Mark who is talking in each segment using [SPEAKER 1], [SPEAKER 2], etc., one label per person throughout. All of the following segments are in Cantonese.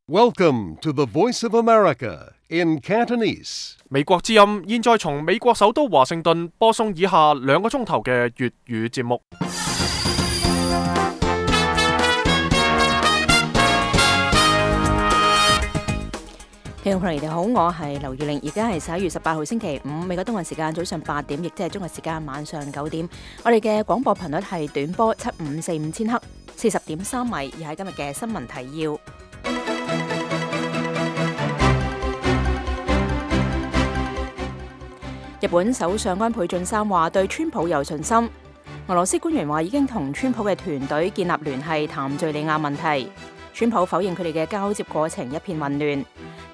[SPEAKER 1] Welcome to the Voice of America in Cantonese.
[SPEAKER 2] 美國之音現在從美國首都華盛頓播送以下2個鐘頭嘅粵語節目。
[SPEAKER 3] 聽眾朋友你哋好，我係劉月玲，而家係11月18號星期五，美國東岸時間早上8點，亦即係中國時間晚上9點。我哋嘅廣播頻率係短波7545千赫，40.3米。而喺今日嘅新聞提要，日本首相安倍晉三話對川普有信心。俄羅斯官員話已經同川普嘅團隊建立聯繫，談敘利亞問題。川普否認佢哋嘅交接過程一片混亂。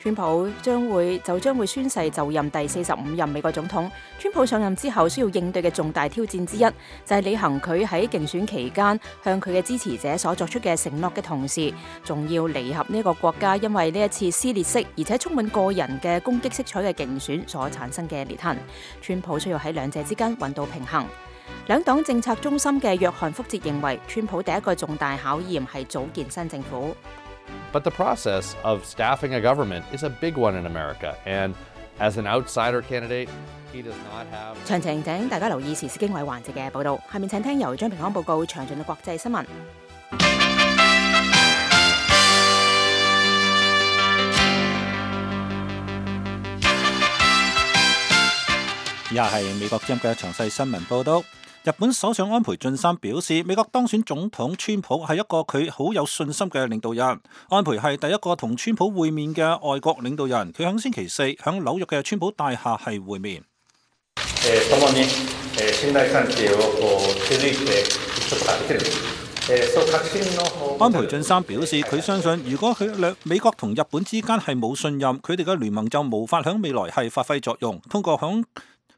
[SPEAKER 3] 川普將會宣誓就任第45任美國總統。川普上任之後需要應對嘅重大挑戰之一，就係履行佢喺競選期間向佢嘅支持者所作出嘅承諾嘅同時，仲要彌合呢個國家因為呢一次撕裂式而且充滿個人嘅攻擊色彩嘅競選所產生嘅裂痕。川普需要喺兩者之間揾到平衡。兩黨政策中心嘅約翰福哲認為，川普第一個重大考驗係組建新政府。
[SPEAKER 4] But the process of staffing a government is a big one in America, and as an outsider candidate, he does not have...
[SPEAKER 3] 詳情請大家留意時事經緯環節嘅報導。下面請聽由張平安報告詳盡嘅國際新聞。
[SPEAKER 5] 以下係美國之音嘅詳細新聞報導。日本首相安倍晉三表示，美國當選總統川普係一個佢好有信心嘅領導人。安倍係第一個同川普會面嘅外國領導人，佢喺星期四喺紐約嘅川普大廈係會面。安倍晉三表示，佢相信如果美國同日本之間係冇信任，佢哋嘅聯盟就無法喺未來係發揮作用。通過響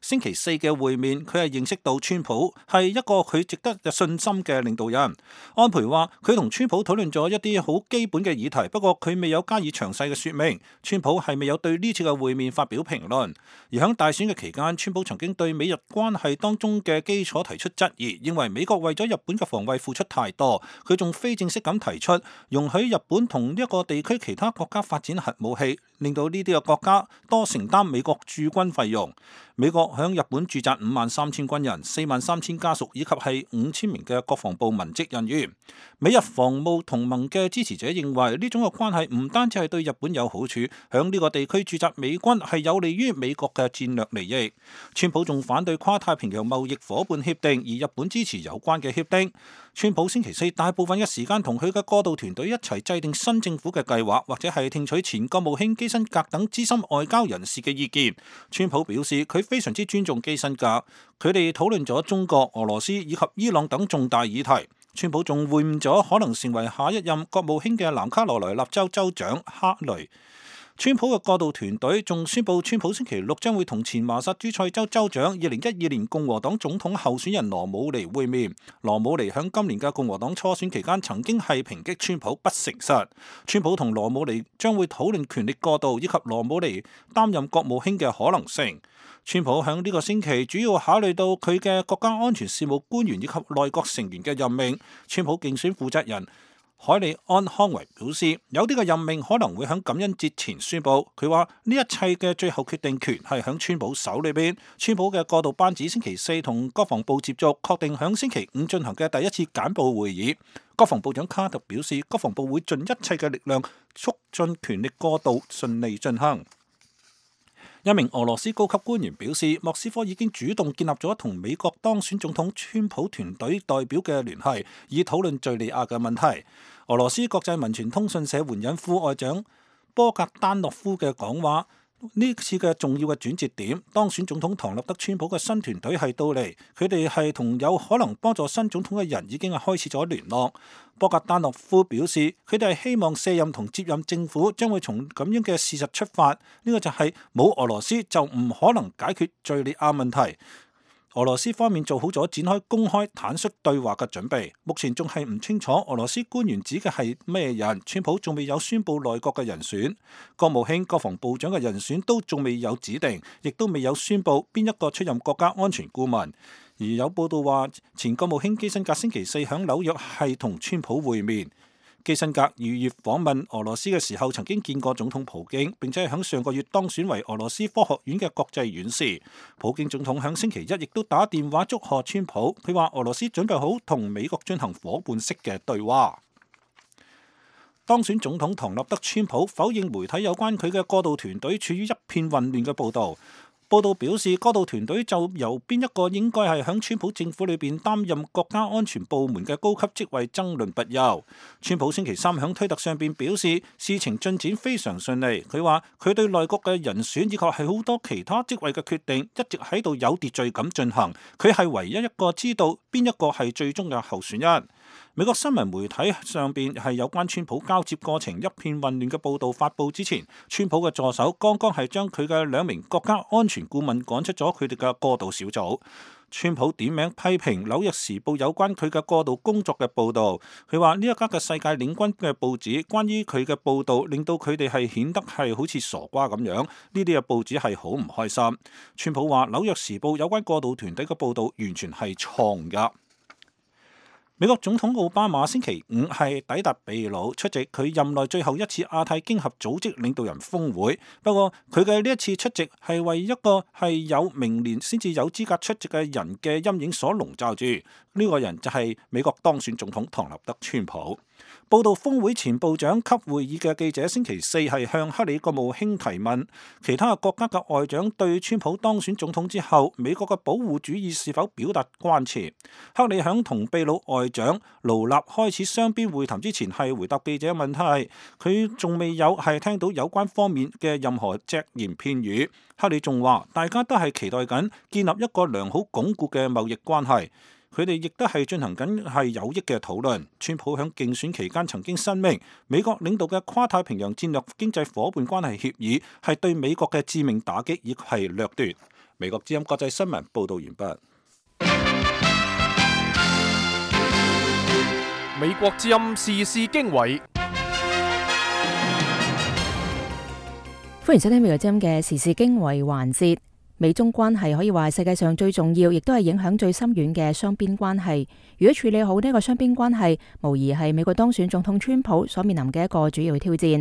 [SPEAKER 5] 星期四嘅會面，佢係認識到川普係一個佢值得有信心嘅領導人。安倍話佢同川普討論咗一啲好基本嘅議題，不過佢未有加以詳細嘅說明。川普係未有對呢次嘅會面發表評論。而喺大選嘅期間，川普曾經對美日關係當中嘅基礎提出質疑，認為美國為咗日本嘅防衛付出太多。佢仲非正式咁提出容許日本同一個地區其他國家發展核武器，令到呢啲嘅國家多承擔美國駐軍費用。美國響日本駐紮53,000軍人、43,000家屬以及係5000名嘅國防部文職人員。美日防務同盟嘅支持者認為呢種嘅關係唔單止係對日本有好處，響呢個地區駐紮美軍係有利於美國嘅戰略利益。川普仲反對跨太平洋貿易夥伴協定，而日本支持有關嘅協定。川普星期四大部分嘅時間同佢嘅過渡團隊一齊制定新政府嘅計劃，或者係聽取前國務卿基辛格等資深外交人士嘅意見。川普表示佢非常之尊重基辛格，佢哋討論咗中國、俄羅斯以及伊朗等重大議題。川普仲會晤咗可能成為下一任國務卿嘅南卡羅來納州州長哈雷。川普嘅過渡團隊仲宣布，川普星期六將會同前麻薩諸塞州州長2012年共和黨總統候選人羅姆尼會面。羅姆尼響今年嘅共和黨初選期間曾經係抨擊川普不誠實。川普同羅姆尼將會討論權力過渡以及羅姆尼擔任國務卿嘅可能性。川普響呢個星期主要考慮到佢嘅國家安全事務官員以及內閣成員嘅任命。川普競選負責人海利安康維表示，有啲嘅任命可能會喺感恩節前宣布。佢話呢一切嘅最後決定權係喺川普手裏邊。川普嘅過渡班子星期四同國防部接觸，確定喺星期五進行嘅第一次簡報會議。國防部長卡特表示，國防部會盡一切嘅力量促進權力過渡順利進行。一名俄羅斯高級官員表示，莫斯科已經主動建立咗同美國當選總統川普團隊代表嘅聯繫，以討論敘利亞嘅問題。俄羅斯國際文傳通訊社援引副外長波格丹諾夫嘅講話，呢次嘅重要嘅轉折點，當選總統唐納德川普嘅新團隊係到嚟，佢哋係同有可能幫助新總統嘅人已經係開始咗聯絡。波格丹諾夫表示，佢哋係希望卸任同接任政府將會從咁樣嘅事實出發，呢個就係冇俄羅斯就唔可能解決敘利亞問題。俄羅斯方面做好咗展開公開坦率對話嘅準備，目前仲係唔清楚俄羅斯官員指嘅係咩人。川普仲未有宣布內閣嘅人選，國務卿、國防部長嘅人選都仲未有指定，亦都未有宣布邊一個出任國家安全顧問。而有報道話，前國務卿基辛格星期四響紐約係同川普會面。基辛格2月訪問俄羅斯嘅時候，曾經見過總統普京，並且係喺上個月當選為俄羅斯科學院嘅國際院士。普京總統喺星期一亦都打電話祝賀川普，佢話俄羅斯準備好同美國進行夥伴式嘅對話。當選總統唐納德川普否認媒體有關佢嘅過渡團隊處於一片混亂嘅報導。報道表示，過渡團隊就由邊一個應該係響川普政府裏邊擔任國家安全部門嘅高級職位爭論不休。川普星期三響推特上邊表示，事情進展非常順利。佢話佢對內閣嘅人選以及係好多其他職位嘅決定一直喺度有秩序咁進行。佢係唯一一個知道邊一個係最終嘅候選人。美國新聞媒體上邊係有關川普交接過程一片混亂嘅報導發布之前，川普嘅助手剛剛係將佢嘅2名國家安全顧問趕出咗佢哋嘅過渡小組。川普點名批評《紐約時報》有關佢嘅過渡工作嘅報導，佢話呢一家嘅世界領軍嘅報紙關於佢嘅報導令到佢哋係顯得係好似傻瓜咁樣，呢啲嘅報紙係好唔開心。川普話《紐約時報》有關過渡團隊嘅報導完全係錯誤㗎。美國總統奧巴馬星期五係抵達秘魯出席佢任內最後一次亞太經合組織領導人峰會，不過佢嘅呢一次出席係為一個係有明年先至有資格出席嘅人嘅陰影所籠罩住，呢個人就係美國當選總統唐納德川普。報道峰會前部長級會議嘅記者星期四係向克里國務卿提問，其他國家嘅外長對川普當選總統之後美國嘅保護主義是否表達關切。克里響同秘魯外長盧納開始雙邊會談之前係回答記者問題，佢仲未有係聽到有關方面嘅任何隻言片語。克里仲話大家都係期待緊建立一個良好鞏固嘅貿易關係。佢哋亦都係進行緊係有益嘅討論。川普喺競選期間曾經申明，美國領導嘅跨太平洋戰略經濟夥伴關係協議係對美國嘅致命打擊，亦係掠奪。美國之音國際新聞報導完畢。
[SPEAKER 2] 美國之音時事經緯，
[SPEAKER 3] 歡迎收聽美國之音嘅時事經緯環節。美中關係可以話係世界上最重要，亦都係影響最深遠嘅雙邊關係。如果處理好呢個雙邊關係，無疑係美國當選總統川普所面臨嘅一個主要挑戰。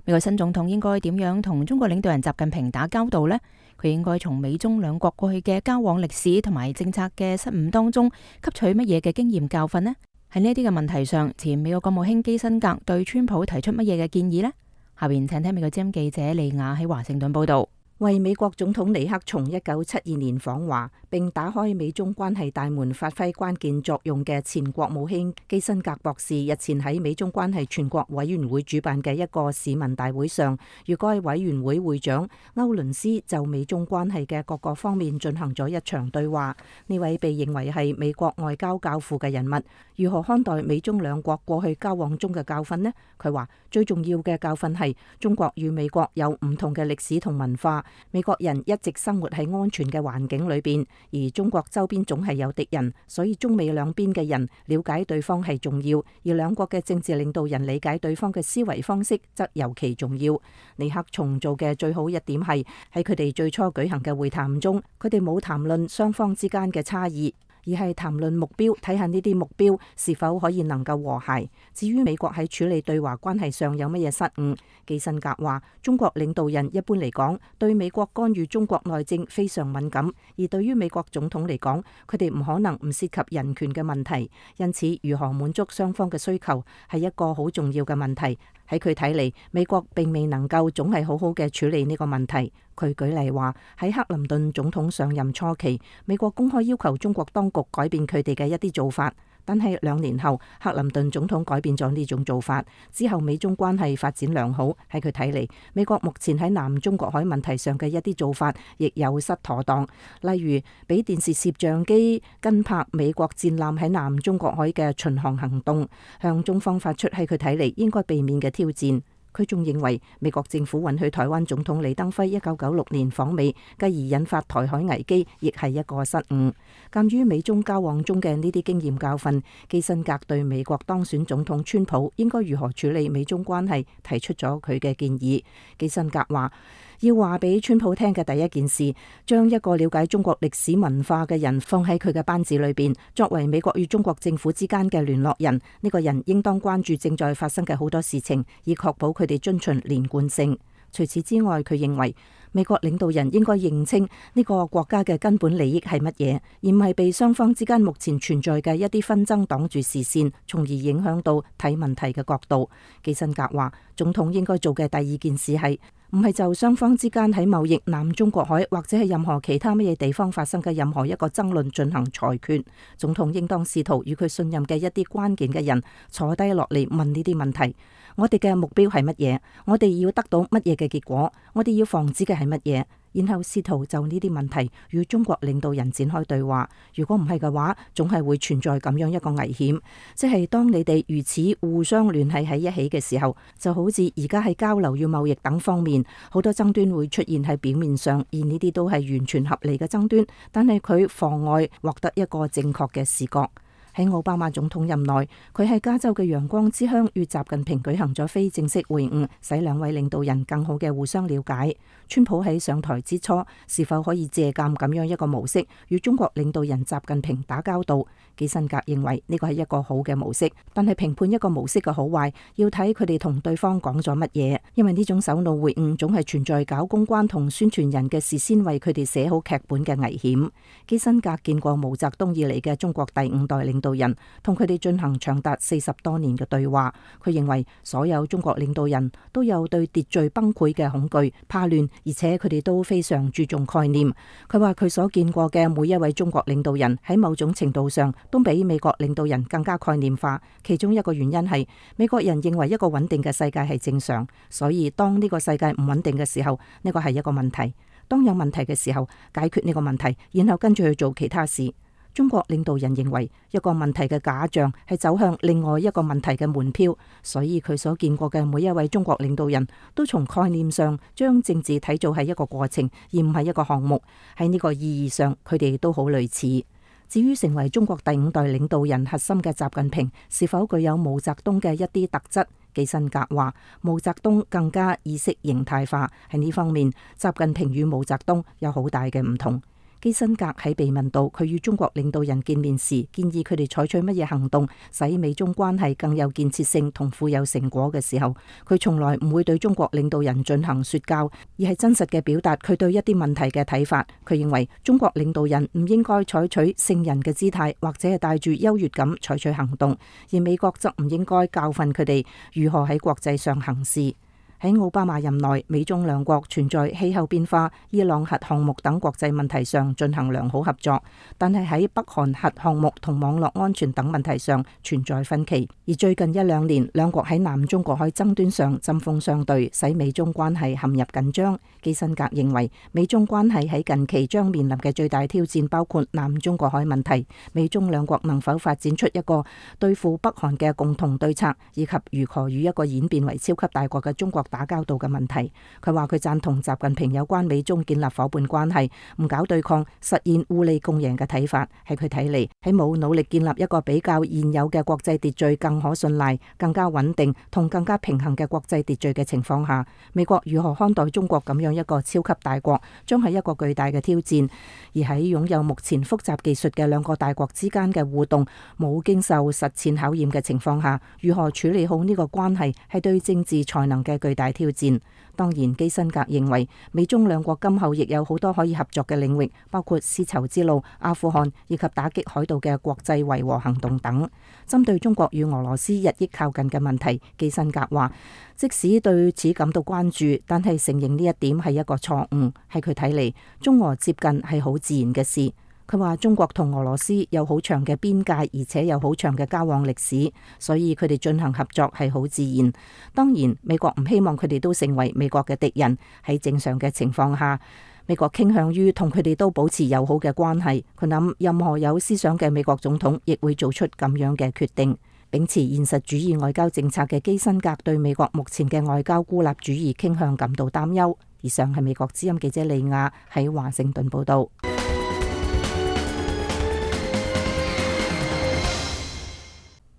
[SPEAKER 3] 美國新總統應該點樣同中國領導人習近平打交道呢？佢應該從美中兩國過去嘅交往歷史同埋政策嘅失誤當中吸取乜嘢嘅經驗教訓呢？喺呢啲嘅問題上，前美國國務卿基辛格對川普提出乜嘢嘅建議呢？下邊請聽美國之音記者利亞喺華盛頓報道。
[SPEAKER 6] 為美國總統尼克松1972年訪華並打開美中關係大門發揮關鍵作用嘅前國務卿基辛格博士日前喺美中關係全國委員會主辦嘅一個市民大會上，與該委員會會長歐倫斯就美中關係嘅各個方面進行咗一場對話。呢位被認為係美國外交教父嘅人物，如何看待美中兩國過去交往中嘅教訓呢？佢話最重要嘅教訓係中國與美國有唔同嘅歷史同文化。美國人一直生活喺安全嘅環境裏邊，而中國周邊總係有敵人，所以中美兩邊嘅人了解對方係重要，而兩國嘅政治領導人理解對方嘅思維方式則尤其重要。尼克松做嘅最好一點係喺佢哋最初舉行嘅會談中，佢哋冇談論雙方之間嘅差異，而係談論目標，睇下呢啲目標是否可以能夠和諧。至於美國喺處理對華關係上有乜嘢失誤，基辛格話中國領導人一般嚟講對美國干預中國內政非常敏感，而對於美國總統嚟講，佢哋唔可能唔涉及人權嘅問題，因此如何滿足雙方嘅需求係一個好重要嘅問題。喺佢睇嚟，美國並未能夠總係好好嘅處理呢個問題。佢舉例話喺克林頓總統上任初期，美國公開要求中國當局改變佢哋嘅一啲做法，但係2年後，克林頓總統改變咗呢種做法之後，美中關係發展良好。喺佢睇嚟，美國目前喺南中國海問題上嘅一啲做法亦有失妥當，例如俾電視攝像機跟拍美國戰艦喺南中國海嘅巡航行動，向中方發出喺佢睇嚟應該避免嘅挑戰。佢仲認為美國政府允許台灣總統李登輝1996年訪美，繼而引發台海危機，亦係一個失誤。鑑於美中交往中嘅呢啲經驗教訓，基辛格對美國當選總統川普應該如何處理美中關係提出咗佢嘅建議。基辛格話：要話俾川普聽嘅第一件事，將一個了解中國歷史文化嘅人放喺佢嘅班子裏邊，作為美國與中國政府之間嘅聯絡人。呢個人應當關注正在發生嘅好多事情，以確保佢哋遵循連貫性。除此之外，佢認為美國領導人應該認清呢個國家嘅根本利益係乜嘢，而唔係被雙方之間目前存在嘅一啲紛爭擋住視線，從而影響到睇問題嘅角度。基辛格話，總統應該做嘅第二件事係唔係就雙方之間喺貿易、南中國海或者係任何其他乜嘢地方發生嘅任何一個爭論進行裁決。總統應當試圖與佢信任嘅一啲關鍵嘅人坐低落嚟問呢啲問題。我哋嘅目標係乜嘢？我哋要得到乜嘢嘅結果？我哋要防止嘅係乜嘢？然後試圖就呢啲問題與中國領導人展開對話。如果唔係嘅話，總係會存在咁樣一個危險，即係當你哋如此互相聯繫喺一起嘅時候，就好似而家喺交流與貿易等方面，好多爭端會出現喺表面上，而呢啲都係完全合理嘅爭端，但係佢妨礙獲得一個正確嘅視覺。喺奧巴馬總統任內，佢喺加州嘅陽光之鄉與習近平舉行咗非正式會晤，使兩位領導人更好嘅互相了解。川普喺上台之初，是否可以借鑑咁樣一個模式，與中國領導人習近平打交道？基辛格認為呢個係一個好嘅模式，但係評判一個模式嘅好壞，要睇佢哋同對方講咗乜嘢，因為呢種首腦會晤總係存在搞公關同宣傳人嘅事先為佢哋寫好劇本嘅危險。基辛格見過毛澤東以嚟嘅中國第五代領導人，同佢哋進行長達40多年嘅對話。佢認為所有中國領導人都有對秩序崩潰嘅恐懼、怕亂，而且佢哋都非常注重概念。佢話佢所見過嘅每一位中國領導人喺某種程度上都比美國領導人更加概念化。其中一個原因係美國人認為一個穩定嘅世界係正常，所以當呢個世界唔穩定嘅時候，呢個係一個問題。當有問題嘅時候，解決呢個問題，然後跟住去做其他事。中國領導人認為一個問題嘅假象係走向另外一個問題嘅門票，所以佢所見過嘅每一位中國領導人都從概念上將政治睇做係一個過程，而唔係一個項目。喺呢個意義上，佢哋都好類似。至於成為中國第五代領導人核心嘅習近平是否具有毛澤東嘅一啲特質，基辛格話毛澤東更加意識形態化。喺呢方面，習近平與毛澤東有好大嘅唔同。基辛格喺被問到佢與中國領導人見面時，建議佢哋採取乜嘢行動使美中關係更有建設性同富有成果嘅時候，佢從來唔會對中國領導人進行說教，而係真實嘅表達佢對一啲問題嘅睇法。佢認為中國領導人唔應該採取聖人嘅姿態，或者係帶住優越感採取行動，而美國則唔應該教訓佢哋如何喺國際上行事。喺奧巴馬任內，美中兩國存在氣候變化、伊朗核項目等國際問題上進行良好合作，但係喺北韓核項目同網絡安全等問題上存在分歧。而最近一兩年，兩國喺南中國海爭端上針鋒相對，使美中關係陷入緊張。基辛格認為，美中關係喺近期將面臨嘅最大挑戰包括南中國海問題，美中兩國能否發展出一個對付北韓嘅共同對策，以及如何與一個演變為超級大國嘅中國打交道嘅問題。佢話佢贊同習近平有關美中建立夥伴關係、唔搞對抗、實現互利共贏嘅睇法。喺佢睇嚟，喺冇努力建立一個比較現有嘅國際秩序更可信賴、更加穩定同更加平衡嘅國際秩序嘅情況下，美國如何看待中國咁樣一個超級大國，將係一個巨大嘅挑戰。而喺擁有目前複雜技術嘅兩個大國之間嘅互動冇經受實踐考驗嘅情況下，如何處理好呢個關係，係對政治才能嘅巨大挑戰。當然，基辛格認為美中兩國今後亦有好多可以合作嘅領域，包括絲綢之路、阿富汗以及打擊海盜嘅國際維和行動等。針對中國與俄羅斯日益靠近嘅問題，基辛格話，即使對此感到關注，但係承認呢一點係一個錯誤。喺佢睇嚟，中俄接近係好自然嘅事。佢話中國同俄羅斯有好長嘅邊界，而且有好長嘅交往歷史，所以佢哋進行合作係好自然。當然，美國唔希望佢哋都成為美國嘅敵人。喺正常嘅情況下，美國傾向於同佢哋都保持友好嘅關係。佢諗任何有思想嘅美國總統亦會做出咁樣嘅決定。秉持現實主義外交政策嘅基辛格對美國目前嘅外交孤立主義傾向感到擔憂。以上係美國之音記者利亞喺華盛頓報道。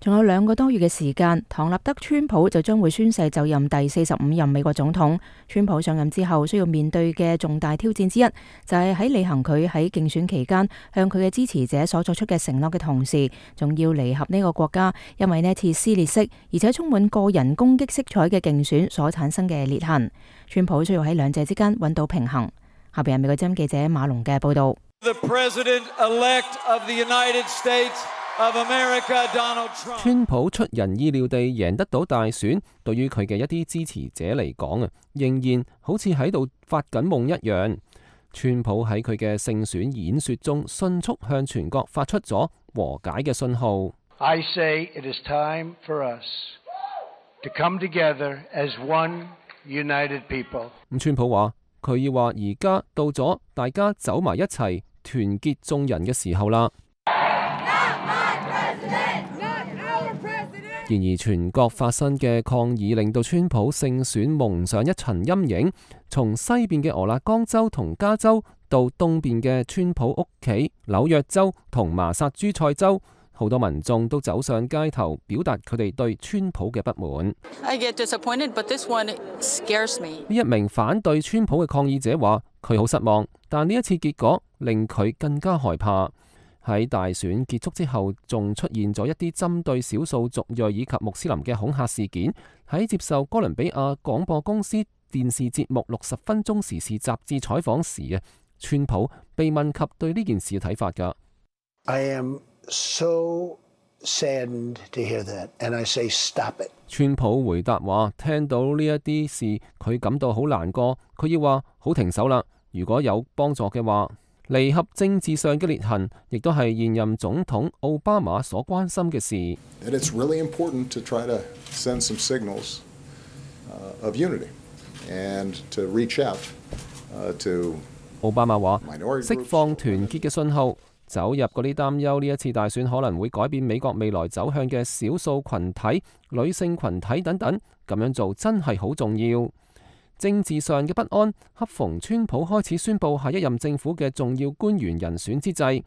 [SPEAKER 3] 仲有2個多月嘅時間，唐納德·川普就將會宣誓就任第45任美國總統。川普上任之後需要面對嘅重大挑戰之一，就係喺履行佢喺競選期間向佢嘅支持者所作出嘅承諾嘅同時，仲要彌合呢個國家因為呢次撕裂式而且充滿個人攻擊色彩嘅競選所產生嘅裂痕。川普需要喺兩者之間揾到平衡。下邊係美國之音記者馬龍嘅報道。
[SPEAKER 7] 川普出人意料地贏得到大選，對於佢嘅一啲支持者嚟講仍然好似喺度發緊夢一樣。川普喺佢嘅勝選演說中，迅速向全國發出咗和解嘅信號。
[SPEAKER 8] I say it is time for us to come together as one united people。
[SPEAKER 7] 川普話佢要話而家到咗大家走埋一齊，團結眾人嘅時候啦。然而，全國發生嘅抗議令到川普勝選蒙上一層陰影。從西邊嘅俄勒岡州同加州，到東邊嘅川普屋企紐約州同麻薩諸塞州，好多民眾都走上街頭，表達佢哋對川普嘅不滿。
[SPEAKER 9] I get disappointed, but this one scares me.
[SPEAKER 7] 呢一名反對川普嘅抗議者話：佢好失望，但呢一次結果令佢更加害怕。喺大選結束之後，仲出現咗一啲針對少數族裔以及穆斯林嘅恐嚇事件。喺接受哥倫比亞廣播公司電視節目60分鐘時事雜誌採訪時，川普被問及對呢件事嘅睇法㗎。
[SPEAKER 8] I am so saddened to hear that, and I say stop it。
[SPEAKER 7] 川普回答話：聽到呢一啲事，佢感到好難過，佢要話好停手啦。如果有幫助嘅話。彌合政治上嘅裂痕，亦都係現任總統奧巴馬所關心嘅事。
[SPEAKER 10] It's really important to try to send some signals of unity and to reach out to。
[SPEAKER 7] 奧巴馬話：釋放團結嘅信號，走入嗰啲擔憂呢一次大選可能會改變美國未來走向嘅少數群體、女性群體等等，咁樣做真係好重要。政治上嘅不安，恰逢川普開始宣布下一任政府嘅重要官員人選之際，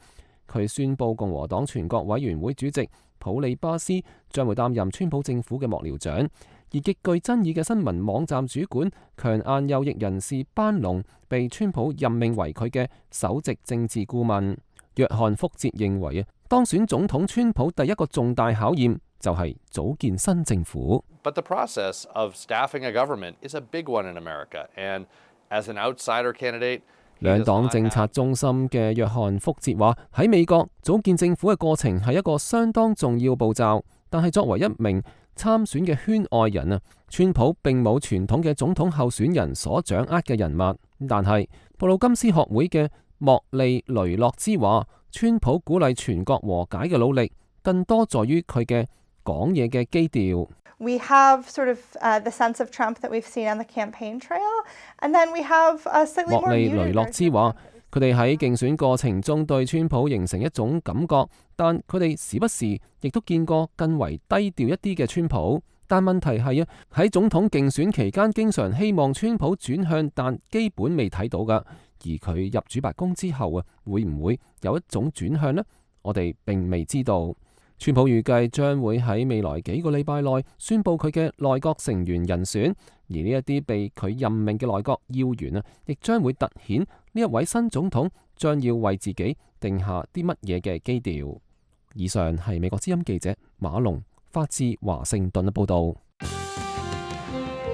[SPEAKER 7] 佢宣布共和黨全國委員會主席普利巴斯將會擔任川普政府嘅幕僚長，而極具爭議嘅新聞網站主管強硬右翼人士班農被川普任命為佢嘅首席政治顧問。約翰福哲認為當選總統川普第一個重大考驗就係組建新政府。
[SPEAKER 4] But the process of staffing a government is a big one in America, and as an outsider candidate，
[SPEAKER 7] 兩黨政策中心嘅約翰福哲話：喺美國組建政府嘅過程係一個相當重要步驟，但係作為一名參選嘅圈外人川普並冇傳統嘅總統候選人所掌握嘅人物。但係布魯金斯學會嘅莫利雷諾茲話：川普鼓勵全國和解嘅努力，更多在於佢嘅講嘢嘅基調。
[SPEAKER 11] We have sort of the sense of Trump that we've seen on the campaign trail, and then we have slightly more muted。莫利雷諾茲話：佢哋喺競選過程中對川普形成一種感覺，但佢哋時不時亦都見過更為低調一啲嘅川普。但問題係喺總統競選期間，經常希望川普轉向，但基本未睇到㗎。而佢入主白宮之後會唔會有一種轉向呢？我哋並未知道。川普預計將會喺未來幾個禮拜內宣布佢嘅內閣成員人選，而呢一啲被佢任命嘅內閣要員亦將會突顯呢一位新總統將要為自己定下啲乜嘢嘅基調。以上係美國之音記者馬龍發自華盛頓嘅報道。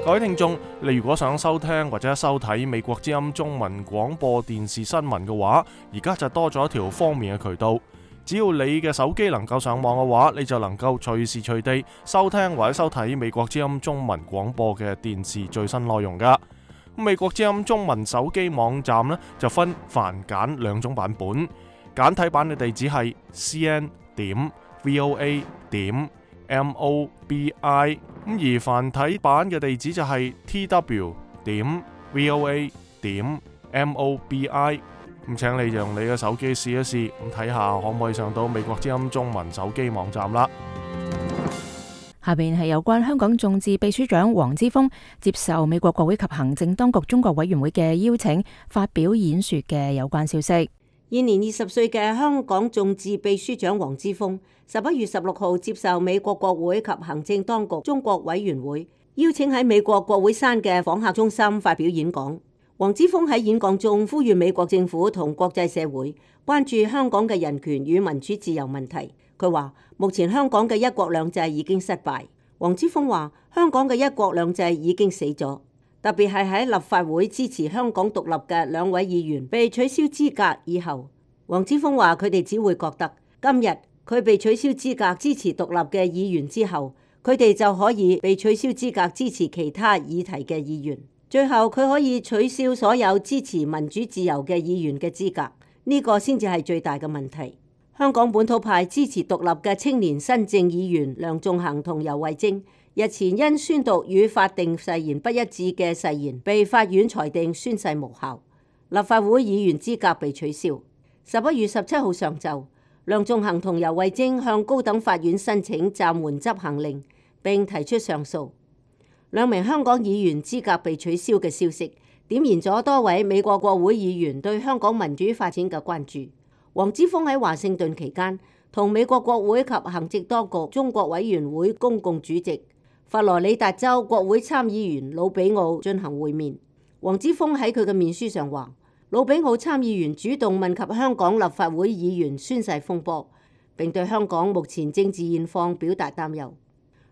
[SPEAKER 2] 各位聽眾，你如果想收聽或者收睇美國之音中文廣播電視新聞嘅話，而家就多咗一條方便嘅渠道。只要你嘅手機能夠上網嘅話，你就能夠隨時隨地收聽或者收睇美國之音中文廣播嘅電視最新內容噶。美國之音中文手機網站呢，就分繁簡兩種版本，簡體版嘅地址係 cn.voa.mobi， 而繁體版嘅地址就係 tw.voa.mobi。咁請你用你嘅手機試一試，咁睇下可唔可以上到美國之音中文手機網站啦。
[SPEAKER 3] 下邊係有關香港眾志秘書長黃之鋒接受美國國會及行政當局中國委員會嘅邀請，發表演說嘅有關消息。
[SPEAKER 12] 現年20歲嘅香港眾志秘書長黃之鋒11月16號接受美國國會及行政當局中國委員會邀請喺美國國會山嘅訪客中心發表演講。黃之鋒喺演講中呼籲美國政府同國際社會關注香港嘅人權與民主自由問題。佢話目前香港嘅一國兩制已經失敗。黃之鋒話香港嘅一國兩制已經死咗。特別係喺立法會支持香港獨立嘅2位議員被取消資格以後，黃之鋒話佢哋只會覺得今日佢被取消資格支持獨立嘅議員之後，佢哋就可以被取消資格支持其他議題嘅議員，最後佢可以取消所有支持民主自由嘅議員嘅資格，呢個先至係最大嘅問題。香港本土派支持獨立嘅青年新政議員梁頌恆同游蕙禎日前因宣讀與法定誓言不一致嘅誓言，被法院裁定宣誓無效，立法會議員資格被取消。11月17號上晝，梁頌恆同游蕙禎向高等法院申請暫緩執行令，並提出上訴。2名香港議員資格被取消嘅消息，點燃咗多位美國國會議員對香港民主發展嘅關注。黃之鋒喺華盛頓期間，同美國國會及行政當局中國委員會公共主席佛羅里達州國會參議員魯比奧進行會面。黃之鋒喺佢嘅面書上話，魯比奧參議員主動問及香港立法會議員宣誓風波，並對香港目前政治現況表達擔憂。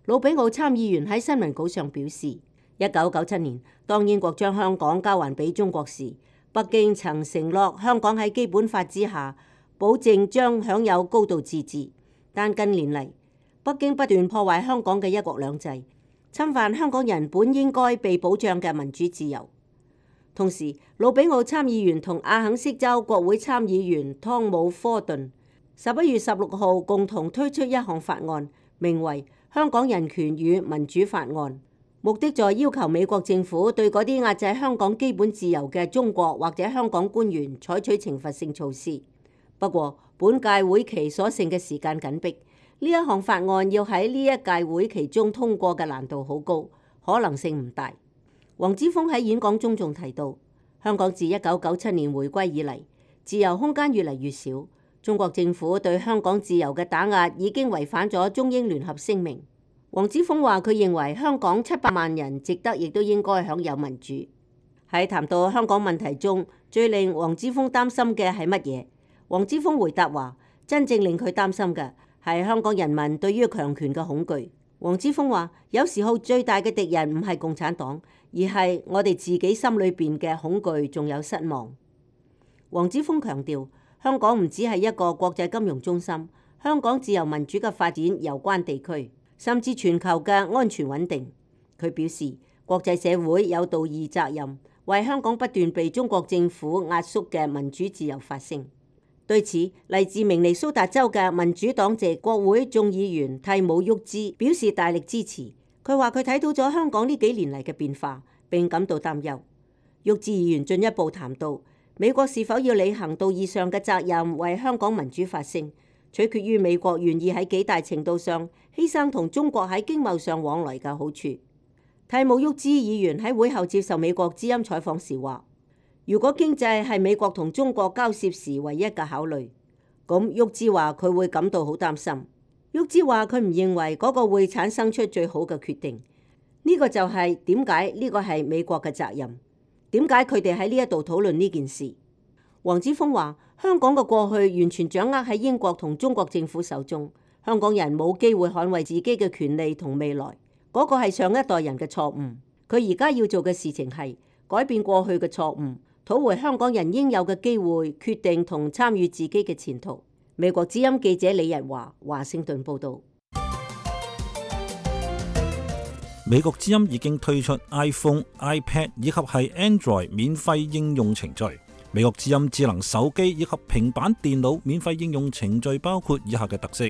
[SPEAKER 12] 魯比奧參議員喺新聞稿上表示，1997年當英國將香港交還俾中國時，北京曾承諾香港喺基本法之下保證將享有高度自治，但近年嚟北京不斷破壞香港嘅一國兩制，侵犯香港人本應該被保障嘅民主自由。同時，魯比奧參議員同阿肯色州國會參議員湯姆·科頓11月16號共同推出一項法案，名為《香港人權與民主法案》，目的在要求美國政府對嗰啲壓制香港基本自由嘅中國或者香港官員採取懲罰性措施。不過，本屆會期所剩嘅時間緊迫，呢一項法案要喺呢一屆會期中通過嘅難度好高，可能性唔大。黃之鋒喺演講中仲提到，香港自1997年回歸以嚟，自由空間越嚟越少。中國政府對香港自由嘅打壓已經違反咗中英聯合聲明。黃之鋒話佢認為香港700萬人值得亦都應該享有民主。喺談到香港問題中，最令黃之鋒擔心嘅係乜嘢？黃之鋒回答話，真正令佢擔心嘅係香港人民對於強權嘅恐懼。黃之鋒話，有時候最大嘅敵人唔係共產黨，而係我哋自己心裏邊嘅恐懼仲有失望。黃之鋒強調，香港唔只係一個國際金融中心，香港自由民主嘅發展攸關地區，甚至全球嘅安全穩定。佢表示，國際社會有道義責任，為香港不斷被中國政府壓縮嘅民主自由發聲。對此，嚟自明尼蘇達州嘅民主黨籍國會眾議員蒂姆·沃茲表示大力支持。佢話佢睇到咗香港呢幾年嚟嘅變化，並感到擔憂。沃茲議員進一步談到，美國是否要履行道義上嘅責任，為香港民主發聲，取決於美國願意喺幾大程度上犧牲同中國喺經貿上往來嘅好處。蒂姆·沃茲議員喺會後接受美國之音採訪時話，如果經濟係美國同中國交涉時唯一嘅考慮，咁沃茲話佢會感到好擔心。沃茲話佢唔認為嗰個會產生出最好嘅決定。呢個就係點解呢個係美國嘅責任，點解佢哋喺呢一度討論呢件事。黃之鋒話，香港嘅過去完全掌握喺英國同中國政府手中，香港人冇機會捍衛自己嘅權利同未來，嗰個係上一代人嘅錯誤。佢而家要做嘅事情係改變過去嘅錯誤，討回香港人應有嘅機會，決定同參與自己嘅前途。美國之音記者李日華，華盛頓報導。
[SPEAKER 5] 美國之音已經推出 iPhone、iPad 以及係 Android 免費應用程序。美國之音智能手機以及平板電腦免費應用程序包括以下嘅特色：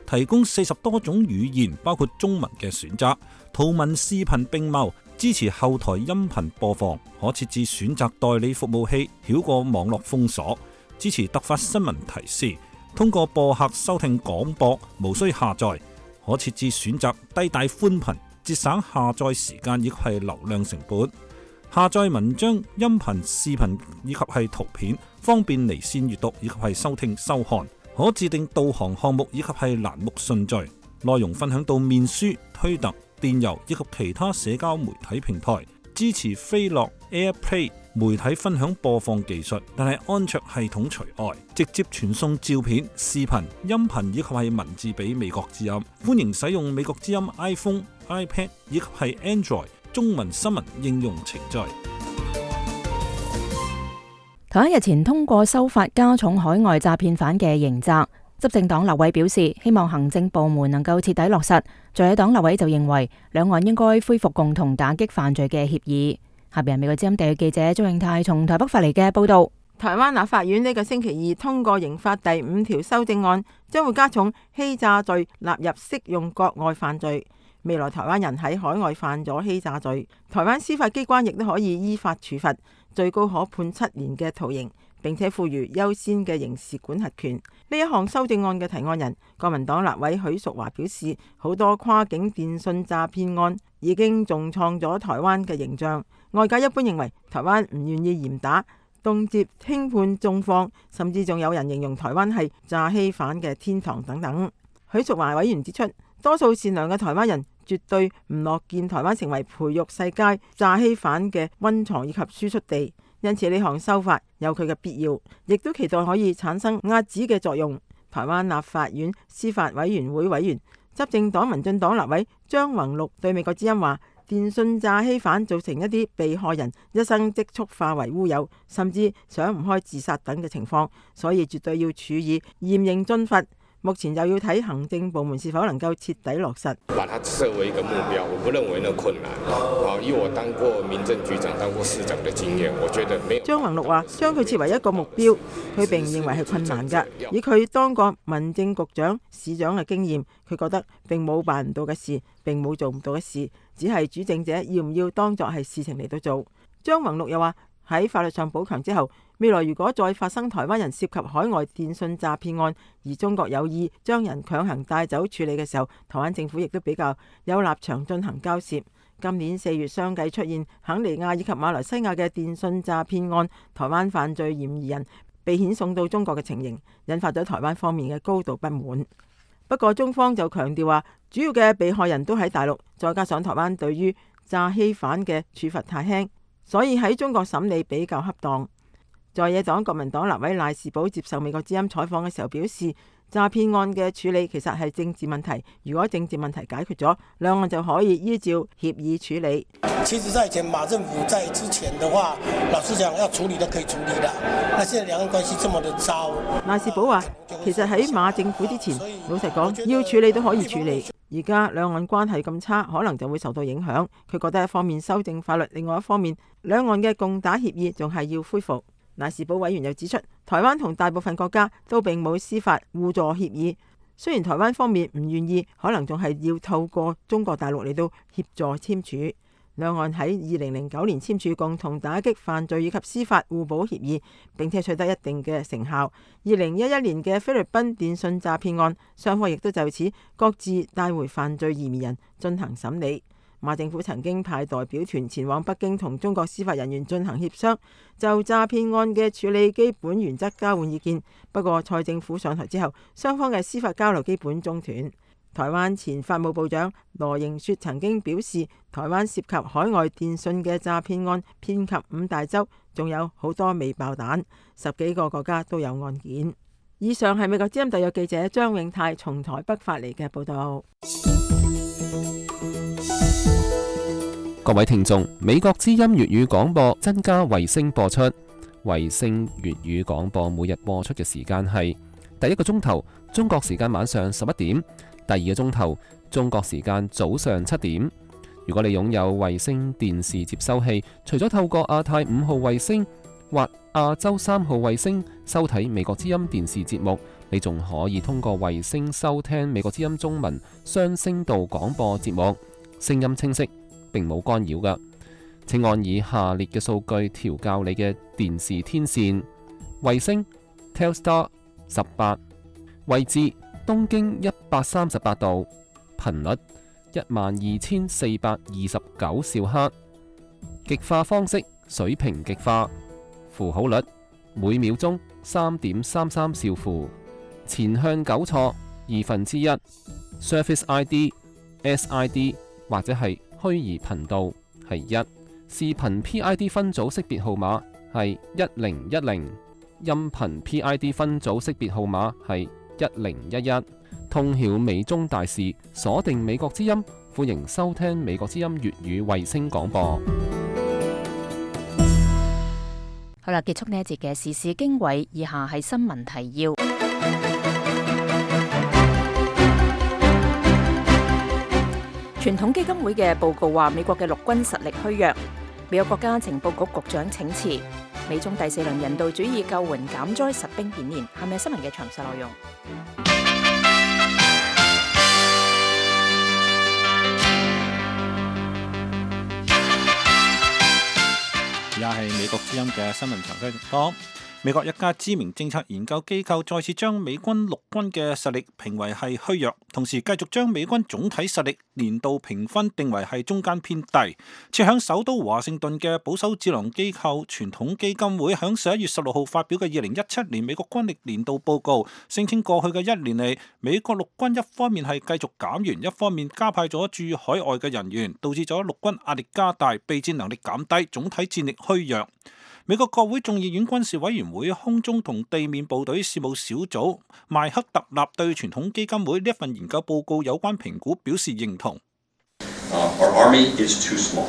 [SPEAKER 5] 提供40多種語言，包括中文嘅選擇，圖文視頻並茂，支持後台音頻播放，可設置選擇代理服務器，繞過網絡封鎖，支持突發新聞提示，通過播客收聽廣播，無需下載，可設置選擇低帶寬頻，節省下載時間亦係流量成本。下載文章、音頻、視頻以及係圖片，方便離線閱讀以及係收聽收看。可自定導航項目以及係欄目順序，內容分享到面書、推特、電郵以及其他社交媒體平台。支持飛樂 AirPlay 媒體分享播放技術，但係安卓系統除外，直接傳送照片、視頻、音頻以及係文字俾美國之音。歡迎使用美國之音 iPhone、iPad 以及係 Android 中文新聞應用程序。
[SPEAKER 3] 台灣日前通過修法加重海外詐騙犯嘅刑責，執政黨立委表示希望行政部門能夠徹底落實。在野黨立委就認為兩岸應該恢復共同打擊犯罪嘅協議。下邊係美國之音地記者鍾永泰從台北發嚟嘅報道。
[SPEAKER 13] 台灣立法院呢個星期二通過刑法第5條修正案，將會加重欺詐罪納入適用國外犯罪。未來台灣人喺海外犯咗欺詐罪，台灣司法機關亦都可以依法處罰，最高可判7年嘅徒刑，並且賦予優先嘅刑事管轄權。呢一項修正案嘅提案人國民黨立委許淑華表示，好多跨境電信詐騙案已經重創咗台灣嘅形象。外界一般認為台灣唔願意嚴打，動輒輕判重放，甚至仲有人形容台灣係詐欺犯嘅天堂等等。許淑華委員指出，多數善良嘅台灣人絕對唔樂見台灣成為培育世界詐欺犯嘅溫床以及輸出地，因此呢項修法有佢嘅必要，亦都期待可以產生壓止嘅作用。台灣立法院司法委員會委員、執政黨民進黨立委張宏陸對美國之音話，電信詐欺犯造成一啲被害人一生積蓄化為烏有，甚至想唔開自殺等嘅情況，所以絕對要處以嚴刑峻罰。目前又要睇行政部門是否能夠徹底落實。
[SPEAKER 14] 把它設為一個目標，我不認為那困難。以我當過民政局長、當過市長的經驗，我覺得沒有。
[SPEAKER 13] 張宏陸話：將佢設為一個目標，佢並唔認為係困難㗎。以佢當過民政局長、市長嘅經驗，佢覺得並冇辦唔到嘅事，並冇做唔到嘅事，只係主政者要唔要當作係事情嚟到做。張宏陸又話：喺法律上補強之後，未來如果再發生台灣人涉及海外電信詐騙案，而中國有意將人強行帶走處理嘅時候，台灣政府亦都比較有立場進行交涉。今年4月相繼出現肯尼亞以及馬來西亞嘅電信詐騙案，台灣犯罪嫌疑人被遣送到中國嘅情形，引發咗台灣方面嘅高度不滿。不過中方就強調話，主要嘅被害人都喺大陸，再加上台灣對於詐欺犯嘅處罰太輕，所以喺中國審理比較恰當。在野黨國民黨立委賴士葆接受美國之音採訪嘅時候表示，詐騙案嘅處理其實係政治問題，如果政治問題解決咗，兩岸就可以依照協議處理。
[SPEAKER 15] 其實在以前馬政府在之前的話，老實講要處理都可以處理的，那現在兩岸關係這麼的糟。
[SPEAKER 13] 賴士葆話，其實喺馬政府之前，老實講要處理都可以處理，而家兩岸關係咁差，可能就會受到影響。佢覺得一方面修正法律，另外一方面兩岸嘅共打協議仲係要恢復。賴士葆委員又指出，台灣同大部分國家都並冇司法互助協議，雖然台灣方面唔願意，可能仲係要透過中國大陸嚟到協助簽署。兩岸喺2009年簽署共同打擊犯罪以及司法互補協議，並且取得一定嘅成效。2011年嘅菲律賓電信詐騙案，雙方亦都就此各自帶回犯罪嫌疑人進行審理。馬政府曾經派代表團前往北京同中國司法人員進行協商，就詐騙案嘅處理基本原則交換意見。不過蔡政府上台之後，雙方嘅司法交流基本中斷。台灣前法務部長羅盈雪曾經表示，台灣涉及海外電信嘅詐騙案遍及5大洲，仲有好多未爆彈，10幾個國家都有案件。以上係美國之音特約記者張永泰從台北發嚟嘅報道。
[SPEAKER 7] 各位聽眾，美國之音粵語廣播增加衛星播出。衛星粵語廣播每日播出嘅時間係第一個鐘頭中國時間晚上11點，第二個鐘頭中國時間早上7點。如果你擁有衛星電視接收器，除咗透過亞太5號衛星或亞洲3號衛星收睇美國之音電視節目，你仲可以通過衛星收聽美國之音中文雙聲道廣播節目，聲音清晰，並冇干擾㗎。請按以下列嘅數據調校你嘅電視天線：衛星 Telstar 18，位置東經138度，頻率12429兆赫，極化方式水平極化，符號率每秒鐘3.33兆符，前向糾錯1/2 ，Surface ID、SID 或者係虛擬頻道係1，視頻 PID 分組識別號碼係1010，音頻 PID 分組識別號碼係1011。通曉美中大事，鎖定美國之音，歡迎收聽美國之音粵語衛星廣播。
[SPEAKER 3] 好啦，結束呢一節嘅時事經緯，以下係新聞提要。傳統基金會嘅報告話，美國嘅陸軍實力虛弱。美國國家情報局局長請辭。美中第4輪人道主義救援減災實兵演練，係咪新聞嘅詳細內容？
[SPEAKER 5] 而家係美國之音嘅新聞詳細情況。美國一家知名政策研究機構再次將美軍陸軍嘅實力評為係虛弱，同時繼續將美軍總體實力年度評分定為係中間偏低。設響首都華盛頓嘅保守智囊機構傳統基金會響11月16號發表嘅2017年美國軍力年度報告，聲稱過去嘅1年嚟，美國陸軍一方面係繼續減員，一方面加派咗駐海外嘅人員，導致咗陸軍壓力加大，備戰能力減低，總體戰力虛弱。美國國會眾議院軍事委員會空中同地面部隊事務小組邁克特納對傳統基金會呢一份研究報告有關評估表示認同。
[SPEAKER 16] Our army is too small.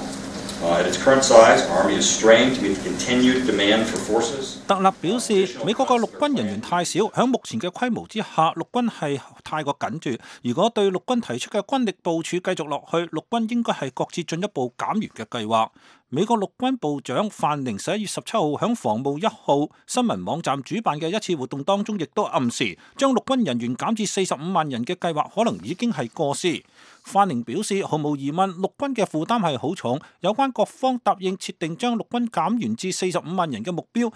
[SPEAKER 16] At its current size, our army is strained to meet the continued demand for forces.
[SPEAKER 5] 特納表示，美國嘅陸軍人員太少，喺目前嘅規模之下，陸軍係太過緊絀。如果對陸軍提出嘅軍力部署繼續落去，陸軍應該係擱置進一步減員嘅計劃。美國陸軍部長范寧11月17號喺防務1號新聞網站主辦嘅一次活動當中，亦都暗示將陸軍人員減至45萬人嘅計劃可能已經係過時。范寧表示，毫無疑問，陸軍嘅負擔係好重，有關各方答應設定將陸軍減員至45萬人嘅目標。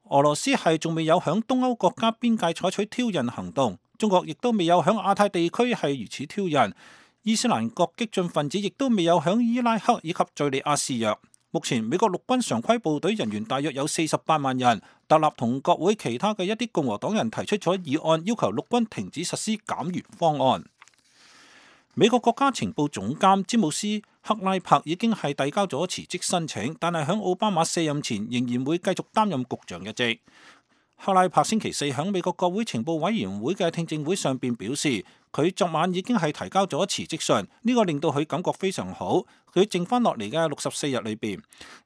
[SPEAKER 5] 俄羅斯係仲未有響東歐國家邊界採取挑釁行動，中國亦都未有響亞太地區係如此挑釁。伊斯蘭國激進分子亦都未有響伊拉克以及敘利亞示弱。目前美國陸軍常規部隊人員大約有48萬人。特納同國會其他嘅一啲共和黨人提出咗議案，要求陸軍停止實施減員方案。美國國家情報總監詹姆斯克拉柏已經係遞交咗辭職申請，但係響奧巴馬卸任前仍然會繼續擔任局長一職。克拉柏星期4喺美國國會情報委員會嘅聽證會上邊表示，佢昨晚已經係提交咗辭職信，呢個令到佢感覺非常好。佢剩翻落嚟嘅64日裏邊，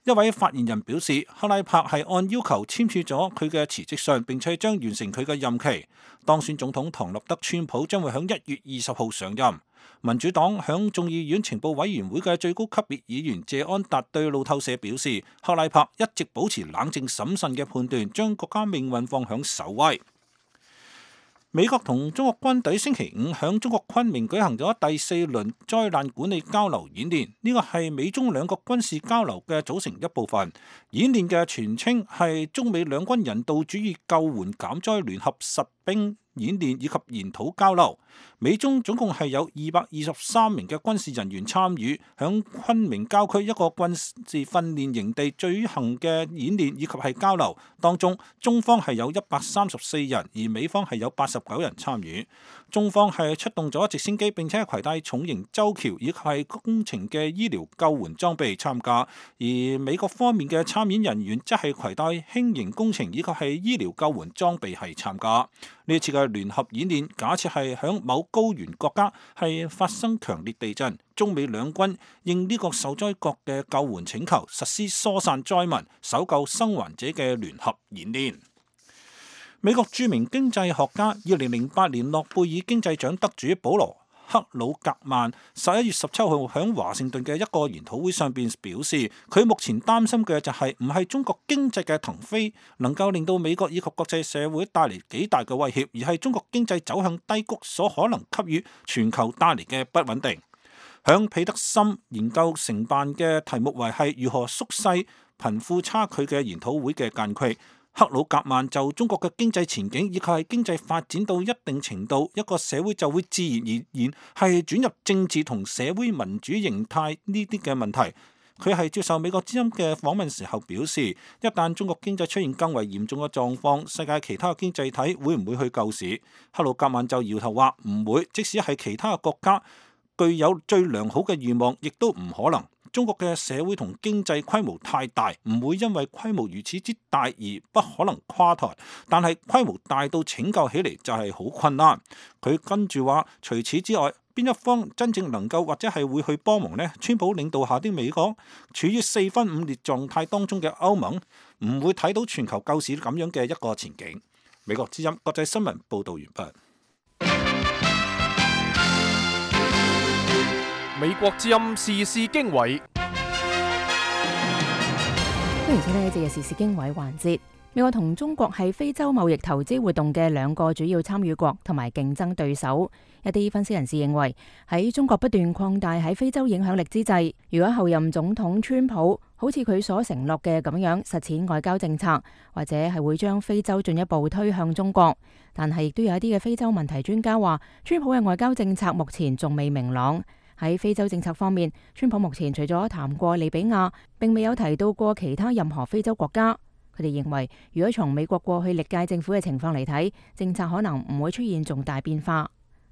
[SPEAKER 5] 一位發言人表示，克拉柏係按要求簽署咗佢嘅辭職信，並且將完成佢嘅任期。當選總統唐納德川普將會喺1月20號上任。民主黨響眾議院情報委員會嘅最高級別議員謝安達對路透社表示，克拉柏一直保持冷靜審慎嘅判斷，將國家命運放響首位。美國同中國軍隊星期5響中國昆明舉行咗第4輪災難管理交流演練，呢個係美中兩國軍事交流嘅組成一部分。演練嘅全稱係中美兩軍人道主義救援減災聯合實兵演練以及研討交流。美中總共係有223名嘅軍事人員參與，響昆明郊區一個軍事訓練營地舉行嘅演練以及係交流。當中中方係有134人，而美方係有89人參與。中方係出動咗直升機，並且係攜帶重型舟橋以及係工程嘅醫療救援裝備參加，而美國方面嘅參演人員則係攜帶輕型工程以及係醫療救援裝備係參加。呢次嘅聯合演練，假設係響某高原國家係發生強烈地震，中美兩軍應呢個受災國嘅救援請求，實施疏散災民、搜救生還者嘅聯合演練。美國著名經濟學家2008年諾貝爾經濟獎得主保羅克魯格曼11月17號喺華盛頓嘅一個研討會上邊表示，佢目前擔心嘅就係唔係中國經濟嘅騰飛能夠令到美國以及國際社會帶嚟幾大嘅威脅，而係中國經濟走向低谷所可能給予全球帶嚟嘅不穩定。響彼得森研究承辦嘅題目為係如何縮細貧富差距嘅研討會嘅間隙，克魯格曼就中國嘅經濟前景以及係經濟發展到一定程度，一個社會就會自然而然係轉入政治同社會民主形態呢啲嘅問題。佢係接受美國之音嘅訪問時候表示，一旦中國經濟出現更為嚴重嘅狀況，世界其他經濟體會唔會去救市？克魯格曼就搖頭話唔會，即使係其他國家具有最良好嘅願望，亦都唔可能。中國嘅社會同經濟規模太大，唔會因為規模如此之大而不可能垮台，但係規模大到拯救起嚟就係好困難。佢跟住話，除此之外，邊一方真正能夠或者係會去幫忙呢？川普領導下的美國，處於四分五裂狀態當中嘅歐盟，唔會睇到全球救市咁樣嘅一個前景。美國之音國際新聞報道完畢。
[SPEAKER 2] 美國之音時事經緯，
[SPEAKER 3] 歡迎收聽呢節嘅時事經緯環節。美國同中國係非洲貿易投資活動嘅兩個主要參與國同埋競爭對手。一啲分析人士認為，喺中國不斷擴大喺非洲影響力之際，如果後任總統川普好似佢所承諾嘅咁樣實踐外交政策，或者係會將非洲進一步推向中國。但係亦都有一啲嘅非洲問題專家話，川普嘅外交政策目前仲未明朗。喺非洲政策方面，川普目前除咗談過利比亞，並未有提到過其他任何非洲國家。佢哋認為，如果從美國過去歷屆政府嘅情況嚟睇，政策可能唔會出現重大變化。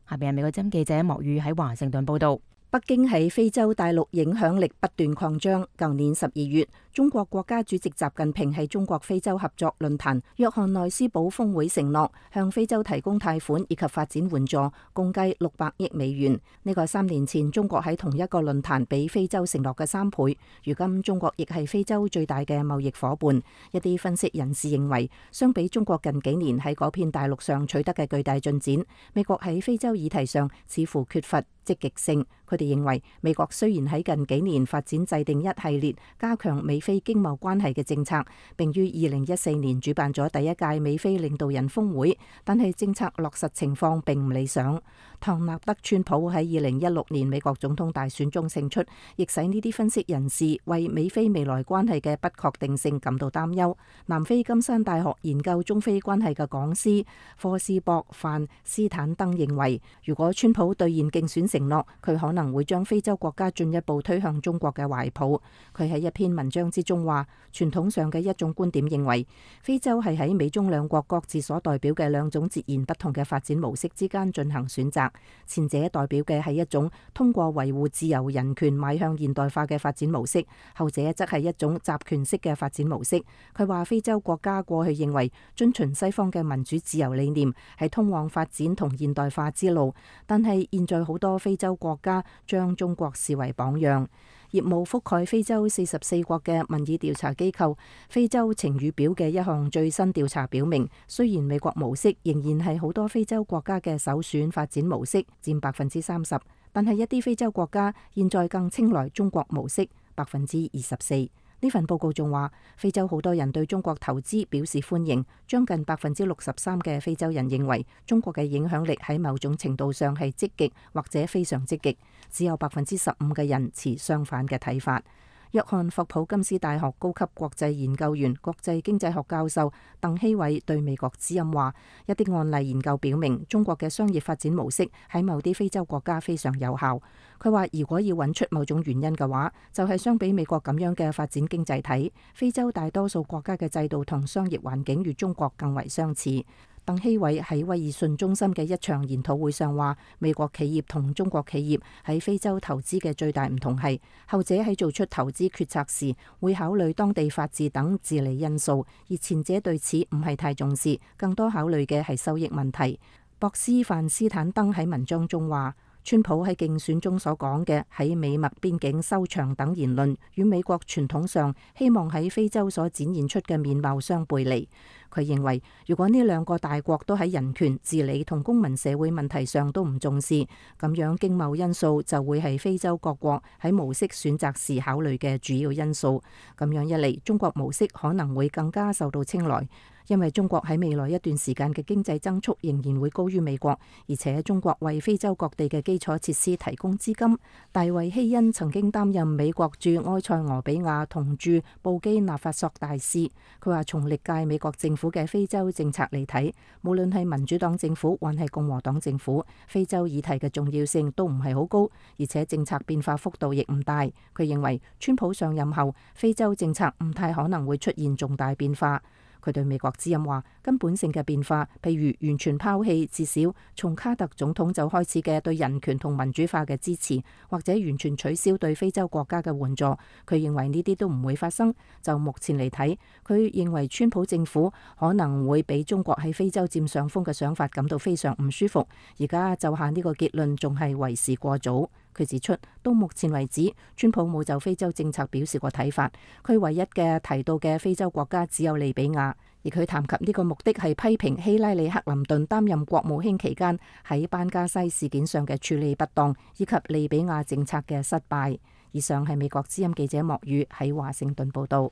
[SPEAKER 3] 下邊係美國之音記者莫宇喺華盛頓報道。
[SPEAKER 6] 北京喺非洲大陸影響力不斷擴張。舊年12月，中國國家主席習近平喺中國非洲合作論壇約翰內斯堡峰會承諾向非洲提供貸款以及發展援助，共計600億美元。呢個3年前中國喺同一個論壇俾非洲承諾嘅3倍。如今中國亦係非洲最大嘅貿易夥伴。一啲分析人士認為，相比中國近幾年喺嗰片大陸上取得嘅巨大進展，美國喺非洲議題上似乎缺乏積極性。佢哋認為，美國雖然喺近幾年發展制定一系列加強美非經貿關係嘅政策，並於2014年主辦咗第一屆美非領導人峰會，但係政策落實情況並唔理想。唐納德·川普喺2016年美國總統大選中勝出，亦使呢啲分析人士為美非未來關係嘅不確定性感到擔憂。南非金山大學研究中非關係嘅講師科斯博·范斯坦登認為，如果川普兌現競選承諾，佢可能會將非洲國家進一步推向中國嘅懷抱。佢喺一篇文章之中話，傳統上嘅一種觀點認為，非洲係喺美中兩國各自所代表嘅兩種截然不同嘅發展模式之間進行選擇。前者代表嘅係一種通過維護自由人權邁向現代化嘅發展模式，後者則係一種集權式嘅發展模式。佢話非洲國家過去認為遵循西方嘅民主自由理念係通往發展同現代化之路，但係現在好多非洲國家將中國視為榜樣。業務覆蓋非洲44國嘅民意調查機構非洲晴雨表嘅一項最新調查表明，雖然美國模式仍然係好多非洲國家嘅首選發展模式，佔30%，但係一啲非洲國家現在更青睞中國模式，24%。呢份報告仲話，非洲好多人對中國投資表示歡迎，將近63%嘅非洲人認為中國嘅影響力喺某種程度上係積極或者非常積極，只有15%嘅人持相反嘅睇法。約翰霍普金斯大學高級國際研究員、國際經濟學教授鄧希偉對美國之音話，一啲案例研究表明，中國嘅商業發展模式喺某啲非洲國家非常有效。佢話，如果要揾出某種原因嘅話，就係相比美國咁樣嘅發展經濟體，非洲大多數國家嘅制度同商業環境與中國更為相似。鄧希偉喺威爾遜中心嘅一場研討會上話，美國企業同中國企業喺非洲投資嘅最大唔同係，後者喺做出投資決策時會考慮當地法治等治理因素，而前者對此唔係太重視，更多考慮嘅係收益問題。博斯范斯坦登喺文章中話，川普喺競選中所講嘅喺美墨邊境收場等言論，與美國傳統上希望喺非洲所展現出嘅面貌相背離。佢認為，如果呢兩個大國都喺人權、治理同公民社會問題上都唔重視，咁樣經貿因素就會係非洲各國喺模式選擇時考慮嘅主要因素。咁樣一嚟，中國模式可能會更加受到青睞。因為中國喺未來一段時間嘅經濟增速仍然會高於美國，而且中國為非洲各地嘅基礎設施提供資金。大衛希恩曾經擔任美國駐埃塞俄比亞同駐布基納法索大使，佢話從歷屆美國政府府嘅非洲政策嚟睇，無論係民主黨政府還係共和黨政府，非洲議題嘅重要性都唔係好高，而且政策變化幅度亦唔大。佢認為川普上任後，非洲政策唔太可能會出現重大變化。佢對美國之音話，根本性嘅變化，譬如完全拋棄至少從卡特總統就開始嘅對人權同民主化嘅支持，或者完全取消對非洲國家嘅援助，佢認為呢啲都唔會發生。就目前嚟睇，佢認為川普政府可能會俾中國喺非洲佔上風嘅想法感到非常唔舒服。而家就下呢個結論仲係為時過早。佢指出，到目前為止，川普冇就非洲政策表示過睇法。佢唯一嘅提到嘅非洲國家只有利比亞，而佢談及呢個目的係批評希拉里克林頓擔任國務卿期間喺班加西事件上嘅處理不當，以及利比亞政策嘅失敗。以上係美國之音記者莫宇喺華盛頓報道。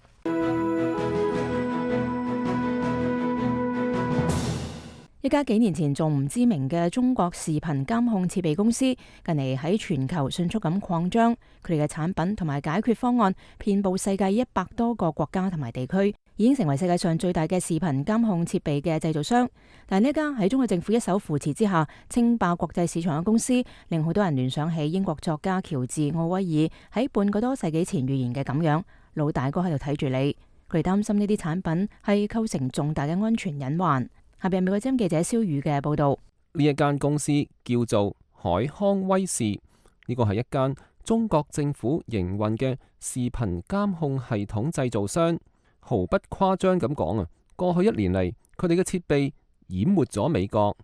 [SPEAKER 3] 一家幾年前仲唔知名嘅中國視頻監控設備公司，近嚟喺全球迅速咁擴張，佢哋嘅產品同埋解決方案遍佈世界100多個國家同埋地區，已經成為世界上最大嘅視頻監控設備嘅製造商。但係呢家喺中國政府一手扶持之下稱霸國際市場嘅公司，令好多人聯想起英國作家喬治奧威爾喺半個多世紀前預言嘅咁樣，老大哥喺度睇住你。佢哋擔心呢啲產品係構成重大嘅安全隱患。下邊美國之音記者蕭宇嘅報道。
[SPEAKER 7] 呢一間公司叫做海康威視，呢個係一間中國政府營運嘅視頻監控系統製造商。毫不誇張咁講啊，過去1年嚟，佢哋嘅設備淹沒咗美國。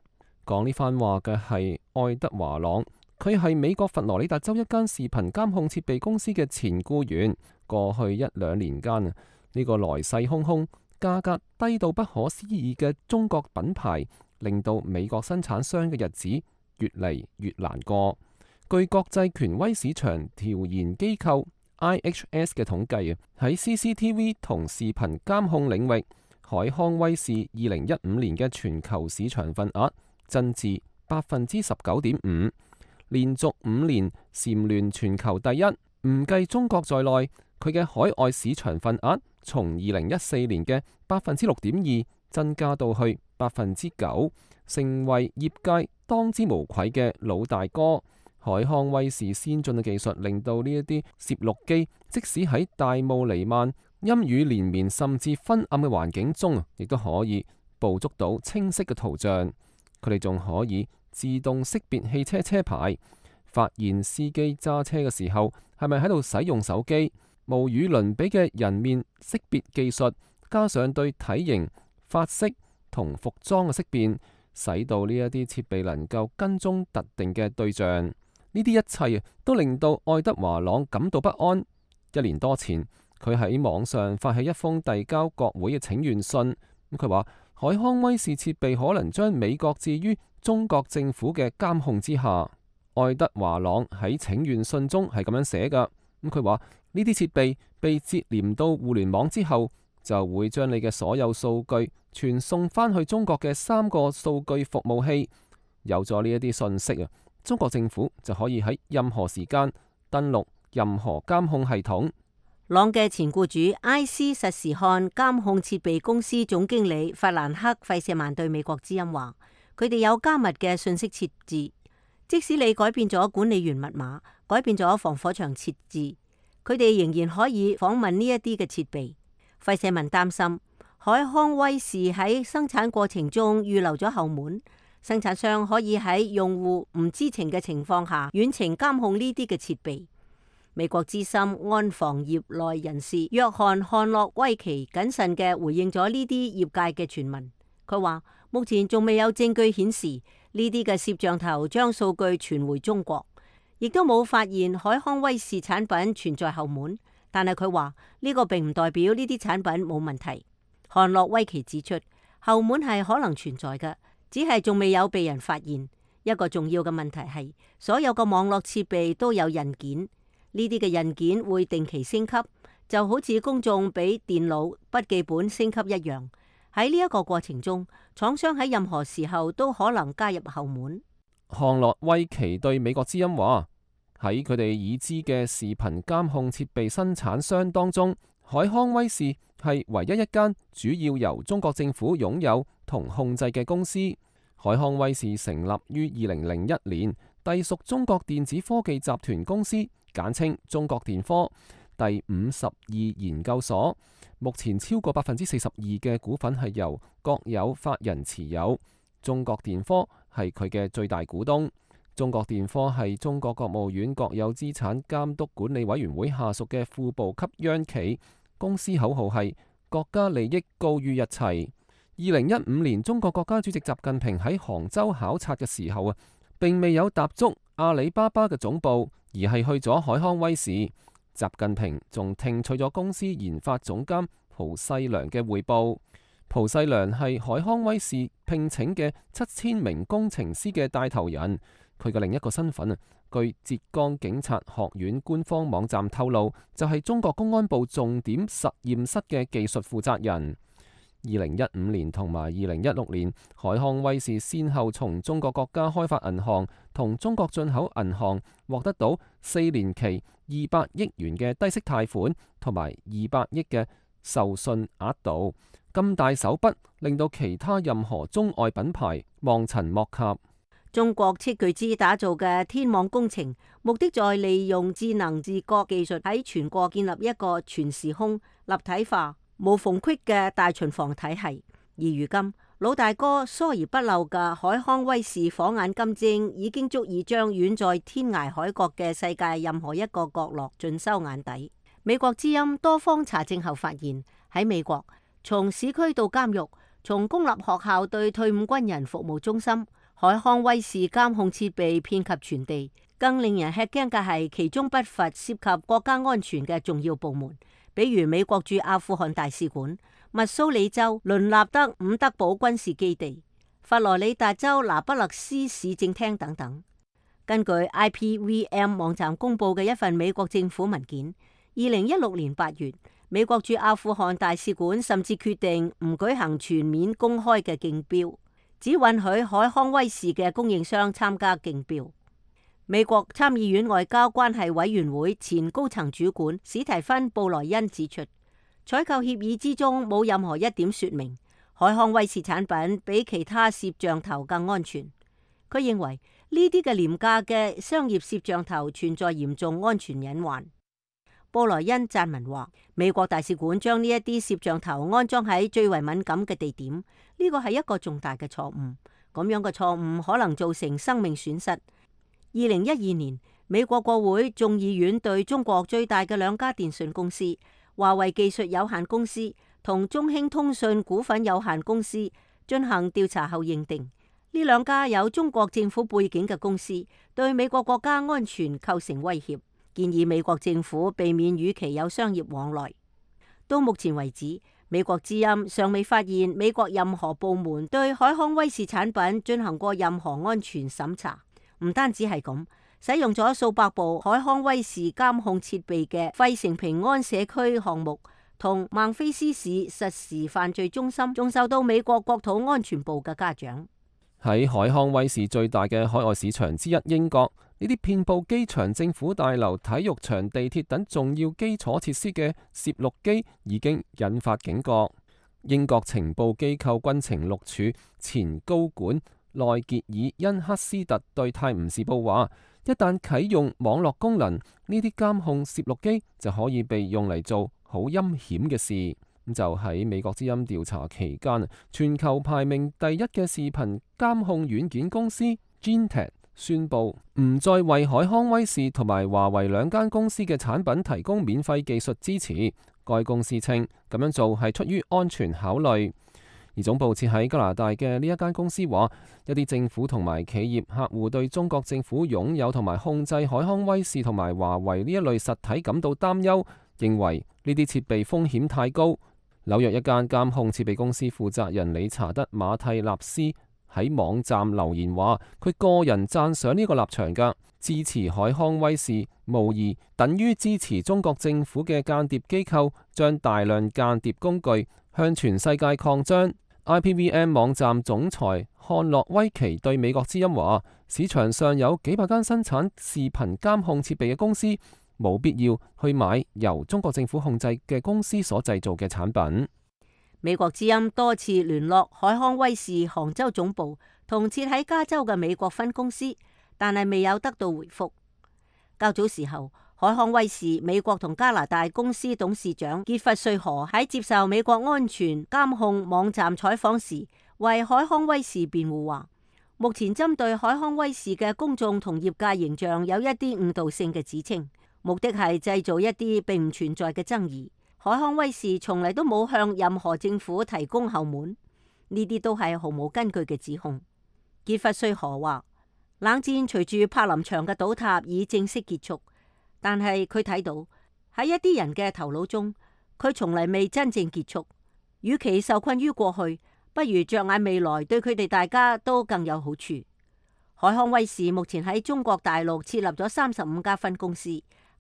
[SPEAKER 7] 講呢番話嘅係愛德華朗，佢係美國佛羅里達州一間視頻監控設備公司嘅前僱員。過去1-2年間啊，呢個來勢洶洶、價格低到不可思議嘅中國品牌，令到美國生產商嘅日子越嚟越難過。據國際權威市場調研機構 IHS 嘅統計啊，喺 CCTV 同視頻監控領域，海康威視2015年嘅全球市場份額增至 19.5%， 連續5年蟬聯全球第一。唔計中國在內，佢嘅海外市場份額從2014年嘅 6.2% 增加到去 9%， 成為業界當之無愧嘅老大哥。海康威視先進嘅技術令到呢一啲攝錄機，即使喺大霧彌漫、陰雨連綿甚至昏暗嘅環境中，亦都可以捕捉到清晰嘅圖像。佢哋仲可以自動識別汽車車牌，發現司機揸車嘅時候係咪喺度使用手機。無與倫比嘅人面識別技術，加上對體型、髮色同服裝嘅識辨，使到呢一啲設備能夠跟蹤特定嘅對象。呢啲一切都令到愛德華朗感到不安。1年多前，佢喺網上發起一封遞交國會嘅請願信。佢話海康威視設備可能將美國置於中國政府嘅監控之下。愛德華朗喺請願信中係咁樣寫㗎。佢話呢啲設備被接連到互聯網之後，就會將你嘅所有數據傳送翻去中國嘅3個數據服務器。有咗呢一啲信息啊，中國政府就可以喺任何時間登錄任何監控系統。
[SPEAKER 12] 朗嘅前雇主埃斯實時看監控設備公司總經理法蘭克費舍曼對美國之音話，佢哋有加密嘅信息設置，即使你改變咗管理員密碼，改變咗防火牆設置，佢哋仍然可以訪問呢一啲嘅設備。費舍曼擔心海康威視喺生產過程中預留咗後門，生產商可以喺用戶唔知情嘅情況下遠程監控呢啲嘅設備。美國資深安防業內人士約翰漢諾威奇謹慎嘅回應咗呢啲業界嘅傳聞。佢話目前仲未有證據顯示呢啲嘅攝像頭將數據傳回中國，亦都冇發現海康威視產品存在後門。但係佢話呢個並唔代表呢啲產品冇問題。漢諾威奇指出，後門係可能存在嘅，只係仲未有被人發現。一個重要嘅問題係所有嘅網絡設備都有印件。呢啲嘅印件會定期升級，就好似公眾俾電腦筆記本升級一樣。喺呢一個過程中，廠商喺任何時候都可能加入後門。
[SPEAKER 7] 漢諾威奇對美國之音話，喺佢哋已知嘅視頻監控設備生產商當中，海康威視係唯一一間主要由中國政府擁有同控制嘅公司。海康威視成立於2001年，隸屬中國電子科技集團公司，簡稱中國電科。第52研究所目前超過42%嘅股份係由國有法人持有，中國電科係佢嘅最大股東。中國電科係中國國務院國有資產監督管理委員會下屬嘅副部級央企，公司口號係國家利益高於一切。2015年，中國國家主席習近平喺杭州考察嘅時候並未有踏足阿里巴巴嘅總部，而係去咗海康威視。習近平仲聽取咗公司研發總監蒲世良嘅匯報。蒲世良係海康威視聘請嘅7000名工程師嘅帶頭人。佢嘅另一個身份據浙江警察學院官方網站透露，就係中國公安部重點實驗室嘅技術負責人。2015年同埋2016年，海康威視先後從中國國家開發銀行同中國進口銀行獲得到4年期200億元嘅低息貸款，同埋200億嘅授信額度。咁大手筆令到其他任何中外品牌望塵莫及。
[SPEAKER 12] 中國斥巨資打造嘅天網工程，目的在利用智能自覺技術喺全國建立一個全時空、立體化、無縫隙嘅大巡防體系。而如今，老大哥疏而不漏嘅海康威視火眼金睛，已經足以將遠在天涯海角嘅世界任何一個角落盡收眼底。美國之音多方查證後發現，喺美國，從市區到監獄，從公立學校對退伍軍人服務中心，海康威視監控設備遍及全地。更令人吃驚嘅係，其中不乏涉及國家安全嘅重要部門，比如美國駐阿富汗大使館、密蘇里州倫納德伍德堡軍事基地、佛羅里達州拿不勒斯市政廳等等。根據 IPVM 網站公佈嘅一份美國政府文件，2016年8月，美國駐阿富汗大使館甚至決定唔舉行全面公開嘅競標，只允許海康威視嘅供應商參加競標。美國參議院外交關係委員會前高層主管史提芬布萊恩指出，採購協議之中冇任何一點說明海康威視產品比其他攝像頭更安全。佢認為呢啲嘅廉價嘅商業攝像頭存在嚴重安全隱患。布萊恩撰文話，美國大使館將呢一啲攝像頭安裝喺最為敏感嘅地點，呢個係一個重大嘅錯誤。咁樣嘅錯誤可能造成生命損失。2012年，美國國會眾議院對中國最大嘅兩家電信公司華為技術有限公司同中興通訊股份有限公司進行調查後認定，呢兩家有中國政府背景嘅公司對美國國家安全構成威脅，建議美國政府避免與其有商業往來。到目前為止，美國之音尚未發現美國任何部門對海康威視產品進行過任何安全審查。唔單止係咁，使用咗數百部海康威視監控設備嘅費城平安社區項目同孟菲斯市實時犯罪中心，仲受到美國國土安全部嘅嘉獎。
[SPEAKER 7] 喺海康威視最大嘅海外市場之一英國，呢啲遍佈機場、政府大樓、體育場、地鐵等重要基礎設施嘅攝錄機已經引發警覺。英國情報機構軍情六處前高管內傑爾恩克斯特對泰晤士報話，一旦啟用網絡功能，呢啲監控攝錄機就可以被用嚟做好陰險嘅事。就喺美國之音調查期間，全球排名第一嘅視頻監控軟件公司 Gentek 宣布唔再為海康威視同埋華為兩間公司嘅產品提供免費技術支持。該公司稱咁樣做係出於安全考慮。而總部設喺加拿大嘅呢一間公司話，一啲政府同埋企業客戶對中國政府擁有同埋控制海康威視同埋華為呢一類實體感到擔憂，認為呢啲設備風險太高。紐約一間監控設備公司負責人理查德馬蒂納斯喺網站留言話，佢個人讚賞呢個立場㗎，支持海康威視無疑等於支持中國政府嘅間諜機構將大量間諜工具向全世界擴張。IPVM 網站總裁漢諾威奇對美國之音話，市場上有幾百間生產視頻監控設備嘅公司，冇必要去買由中國政府控制嘅公司所製造嘅產品。
[SPEAKER 12] 美國之音多次聯絡海康威視杭州總部同設喺加州嘅美國分公司，但係未有得到回覆。較早時候，海康威視美國同加拿大公司董事長傑弗瑞河喺接受美國安全監控網站採訪時，為海康威視辯護話，目前針對海康威視嘅公眾同業界形象有一啲誤導性嘅指稱，目的係製造一啲並唔存在嘅爭議。海康威視從嚟都冇向任何政府提供後門，呢啲都係毫無根據嘅指控。傑弗瑞河話，冷戰隨住柏林牆嘅倒塌已正式結束，但係佢睇到喺一啲人嘅頭腦中，佢從嚟未真正結束。與其受困於過去，不如着眼未來，對佢哋大家都更有好處。海康威視目前喺中國大陸設立咗35家分公司，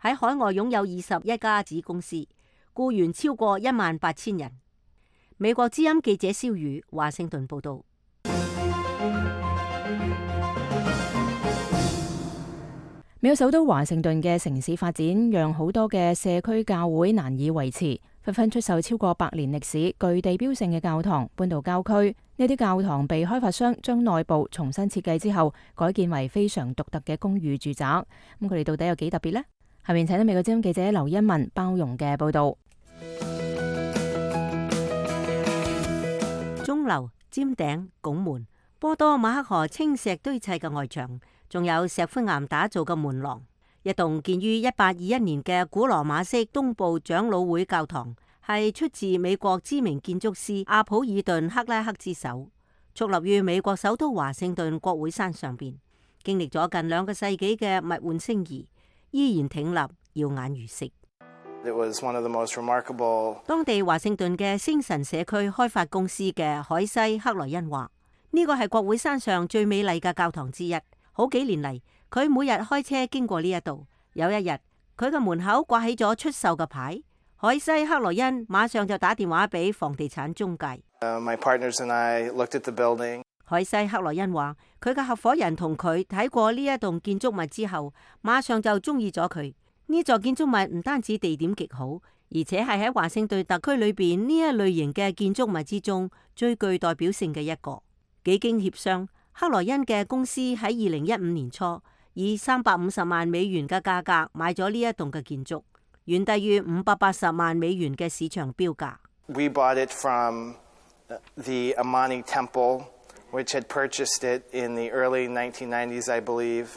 [SPEAKER 12] 喺海外擁有21家子公司，僱員超過18000人。美國之音記者蕭宇華盛頓報道。
[SPEAKER 3] 美國首都華盛頓嘅城市發展，讓好多嘅社區教會難以維持，紛紛出售超過100年歷史、具地標性嘅教堂，搬到郊區。呢啲教堂被開發商將內部重新設計之後，改建為非常獨特嘅公寓住宅。咁佢哋到底有幾特別呢？下面請到美國之音記者劉欣文包容嘅報道。
[SPEAKER 12] 鐘樓、尖頂、拱門、波多馬克河青石堆砌嘅外牆，仲有石灰岩打造嘅門廊。一棟建於1821年嘅古羅馬式東部長老會教堂，係出自美國知名建築師阿普爾頓克拉克之手，矗立於美國首都華盛頓國會山上邊，經歷咗近2個世紀嘅物換星移，依然挺立，耀眼如昔。當地華盛頓嘅星辰社區開發公司嘅海西克萊恩話：呢個係國會山上最美麗嘅教堂之一。好幾年嚟，佢每日開車經過呢一度。有一日，佢嘅門口掛起咗出售嘅牌，海西克萊恩馬上就打電話俾房地產中介。海西克萊恩話：佢嘅合夥人同佢睇過呢一棟建築物之後，馬上就中意咗佢。呢座建築物唔單止地點極好，而且係喺華盛頓特區裏邊呢一類型嘅建築物之中最具代表性嘅一個。幾經協商，克萊恩嘅公司喺2015年初以350萬美元嘅價格買咗呢一棟嘅建築，遠低於580萬美元嘅市場標價。
[SPEAKER 17] We bought it from the Amani Temple, which had purchased it in the early 1990s, I believe.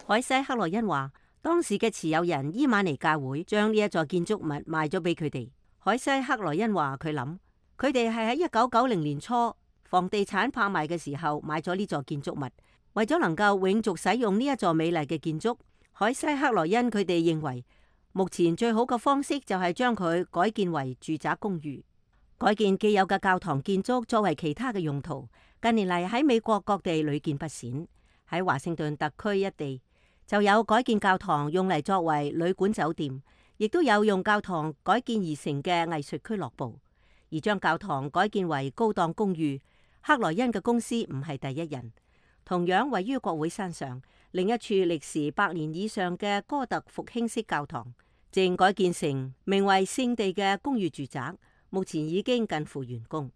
[SPEAKER 12] 海西克萊恩話：當時嘅持有人伊瑪尼教會將呢一座建築物賣咗俾佢哋。海西克萊恩話：佢諗佢哋係喺1990年初房地產拍賣嘅時候買咗呢座建築物，為咗能夠永續使用呢一座美麗嘅建築。海西克萊恩佢哋認為目前最好嘅方式就係將佢改建為住宅公寓，改建既有嘅教堂建築作為其他嘅用途。近年嚟喺美國各地屢見不鮮，喺華盛頓特區一地就有改建教堂用嚟作為旅館酒店，亦都有用教堂改建而成嘅藝術俱樂部。而將教堂改建為高檔公寓，克萊恩嘅公司唔係第一人。同樣位於國會山上另一處歷時100年以上嘅哥特復興式教堂，正改建成名為聖地嘅公寓住宅，目前已經近乎完工。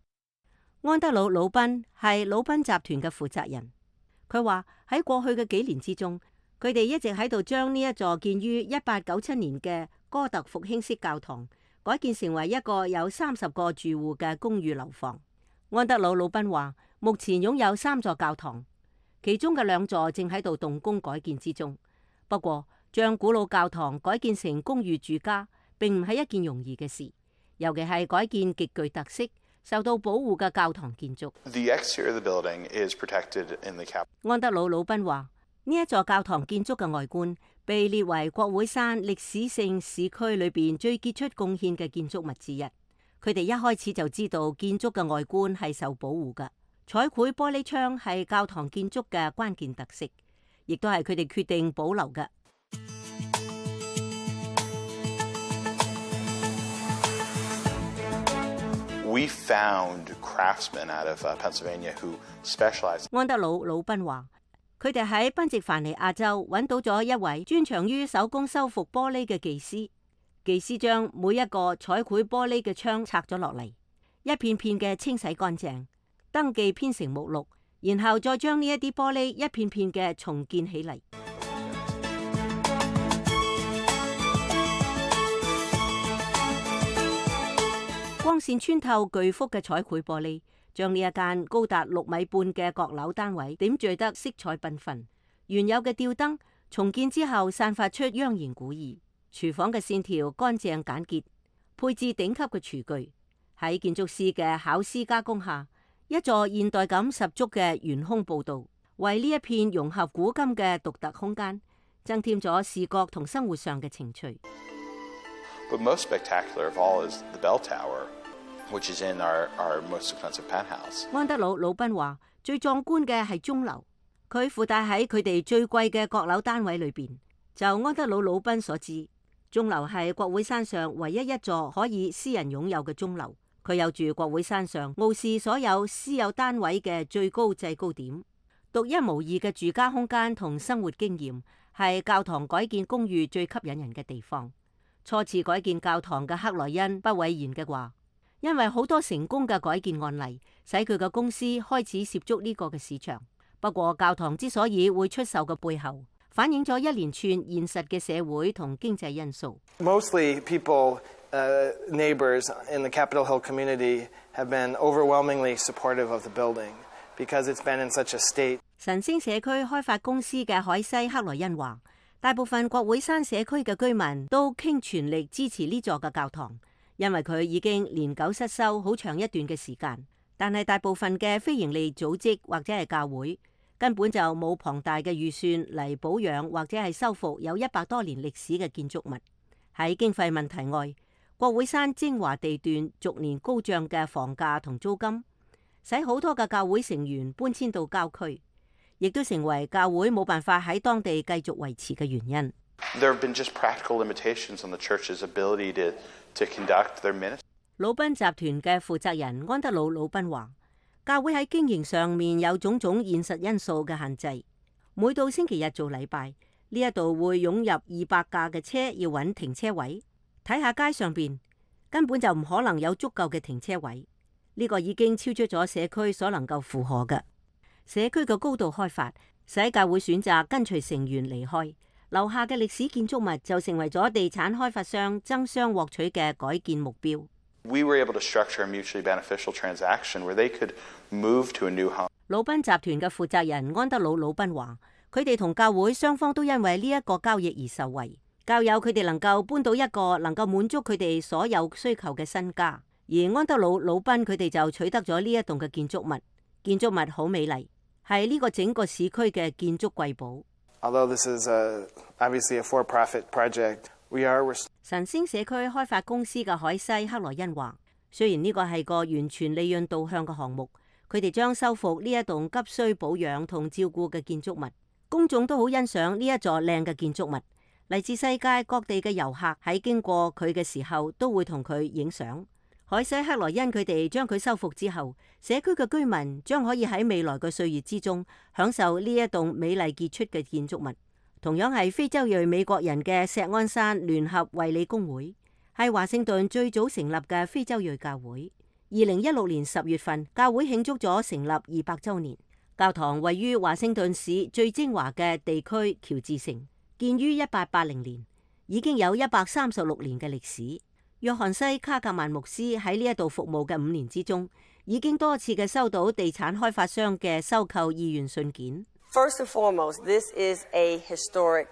[SPEAKER 12] 安德魯·魯賓係魯賓集團嘅負責人，佢話喺過去嘅幾年之中，佢哋一直喺度將呢一座建於1897年嘅哥特復興式教堂改建成為一個有30個住戶嘅公寓樓房。安德魯·魯賓話，目前擁有3座教堂，其中嘅2座正喺度動工改建之中。不過，將古老教堂改建成公寓住家，並唔係一件容易嘅事，尤其係改建極具特色、受到保護嘅教堂建築。安德魯·魯賓話，呢一座教堂建築嘅外觀被列為國會山歷史性市區裏邊最傑出貢獻嘅建築物之一。佢哋一開始就知道建築嘅外觀係受保護㗎，彩繪玻璃窗係教堂建築嘅關鍵特色，亦都係佢哋決定保留嘅。
[SPEAKER 18] We found craftsmen out of Pennsylvania who specialize.
[SPEAKER 12] 安德魯·魯賓話，佢哋喺賓夕凡尼亞州揾到咗一位專長於手工修復玻璃嘅技師。技師將每一個彩繪玻璃嘅窗拆咗落嚟，一片片嘅清洗乾淨，登記編成目錄，然後再將呢一啲玻璃一片片嘅重建起嚟。光線穿透巨幅嘅彩繪玻璃，將呢一間高達6米半嘅閣樓單位點綴得色彩繽紛。原有嘅吊燈重建之後，散發出央言古意。廚房嘅線條乾淨簡潔，配置頂級嘅廚具。喺建築師嘅巧思加工下，一座現代感十足嘅懸空步道，為呢一片融合古今嘅獨特空間增添咗視覺同生活上嘅情趣。
[SPEAKER 18] But most spectacular of all is the bell tower, which is in our most expensive penthouse.
[SPEAKER 12] 安德魯·魯賓話：最壯觀嘅係鐘樓，佢附帶喺佢哋最貴嘅閣樓單位裏邊。就安德魯·魯賓所知，鐘樓係國會山上唯一一座可以私人擁有嘅鐘樓。佢有住國會山上傲視所有私有單位嘅最高制高點，獨一無二嘅住家空間同生活經驗，係教堂改建公寓最吸引人嘅地方。初次改建教堂嘅克萊恩不諱言嘅話，因為好多成功嘅改建案例，使佢嘅公司開始涉足呢個嘅市場。不過教堂之所以會出售嘅背後，反映咗一連串現實嘅社會同經濟因素。
[SPEAKER 17] Mostly people, neighbors in the Capitol Hill community have been overwhelmingly supportive of the building because it's been in such a state.
[SPEAKER 12] 晨星社區開發公司嘅海西克萊恩話，大部分國會山社區嘅居民都傾全力支持呢座嘅教堂，因為佢已經年久失修好長一段嘅時間。但係大部分嘅非營利組織或者係教會根本就冇龐大嘅預算嚟保養或者係修復有100多年歷史嘅建築物。喺經費問題外，國會山精華地段逐年高漲嘅房價同租金，使好多嘅教會成員搬遷到郊區，亦都成為教會冇辦法喺當地繼續維持嘅原因。
[SPEAKER 18] There have been just practical limitations on the church's ability to conduct their ministry.
[SPEAKER 12] 魯賓集團嘅負責人安德魯·魯賓話，教會喺經營上面有種種現實因素嘅限制。每到星期日做禮拜，呢一度會湧入200架嘅車要揾停車位。睇下街上邊根本就唔可能有足夠嘅停車位，呢個已經超出咗社區所能夠負荷嘅。社區嘅高度開發使教會選擇跟隨成員離開，留下嘅歷史建築物就成為咗地產開發商爭相獲取嘅改建目標。
[SPEAKER 18] We were able to structure a mutually beneficial transaction where they could move to a new home.
[SPEAKER 12] 魯賓集團嘅負責人安德魯·魯賓話，佢哋同教會雙方都因為呢一個交易而受惠。教友佢哋能夠搬到一個能夠滿足佢哋所有需求嘅新家，而安德魯·魯賓佢哋就取得咗呢一棟嘅建築物。建築物好美麗，係呢個整個市區嘅建築瑰寶。
[SPEAKER 17] Although this is obviously a for-profit project, we are.
[SPEAKER 12] 晨星社區開發公司嘅海西克萊恩話，雖然呢個係個完全利潤導向嘅項目，佢哋將修復呢一棟急需保養同照顧嘅建築物。公眾都好欣賞呢一座靚嘅建築物。嚟自世界各地嘅遊客喺經過佢嘅時候都會同佢影相。海西克萊恩佢哋將佢修復之後，社區嘅居民將可以喺未來嘅歲月之中享受呢一棟美麗傑出嘅建築物。同樣係非洲裔美國人嘅錫安山聯合衛理公會，係華盛頓最早成立嘅非洲裔教會。2016年10月份，教會慶祝咗成立200週年。教堂位於華盛頓市最精華嘅地區喬治城。建於1880年，已經有136年嘅歷史。約翰西卡格曼牧師喺呢一度服務嘅5年之中，已經多次嘅收到地產開發商嘅收購意願信件。
[SPEAKER 19] First and foremost, this is a historic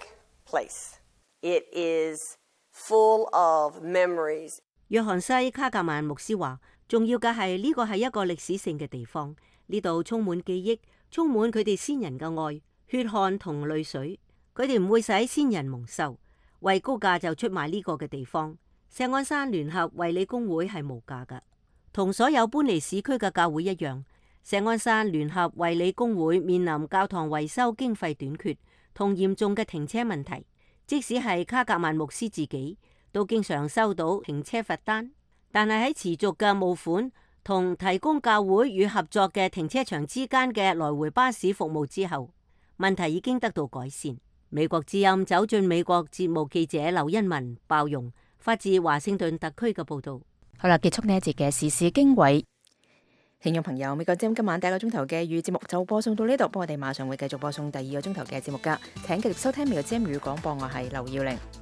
[SPEAKER 19] place. It is full of memories.
[SPEAKER 12] 約翰西卡格曼牧師話，重要嘅係呢個係一個歷史性嘅地方，呢度充滿記憶，充滿佢哋先人嘅愛、血汗同淚水。佢哋唔會使先人蒙羞，為高價就出賣呢個嘅地方。錫安山聯合衛理公會係無價㗎，同所有搬離市區嘅教會一樣。錫安山聯合衛理公會面臨教堂維修經費短缺同嚴重嘅停車問題，即使係卡格曼牧師自己都經常收到停車罰單。但係喺持續嘅募款同提供教會與合作嘅停車場之間嘅來回巴士服務之後，問題已經得到改善。美國之音走進美國節目記者劉欣文包容發自華盛頓特區嘅報道。
[SPEAKER 3] 好啦，結束呢一節嘅時事經緯。聽眾朋友，美國之音今晚第一個鐘頭嘅粵語節目就播送到呢度，不過我哋馬上會繼續播送第二個鐘頭嘅節目噶，請繼續收聽美國之音粵語廣播，我係劉耀玲。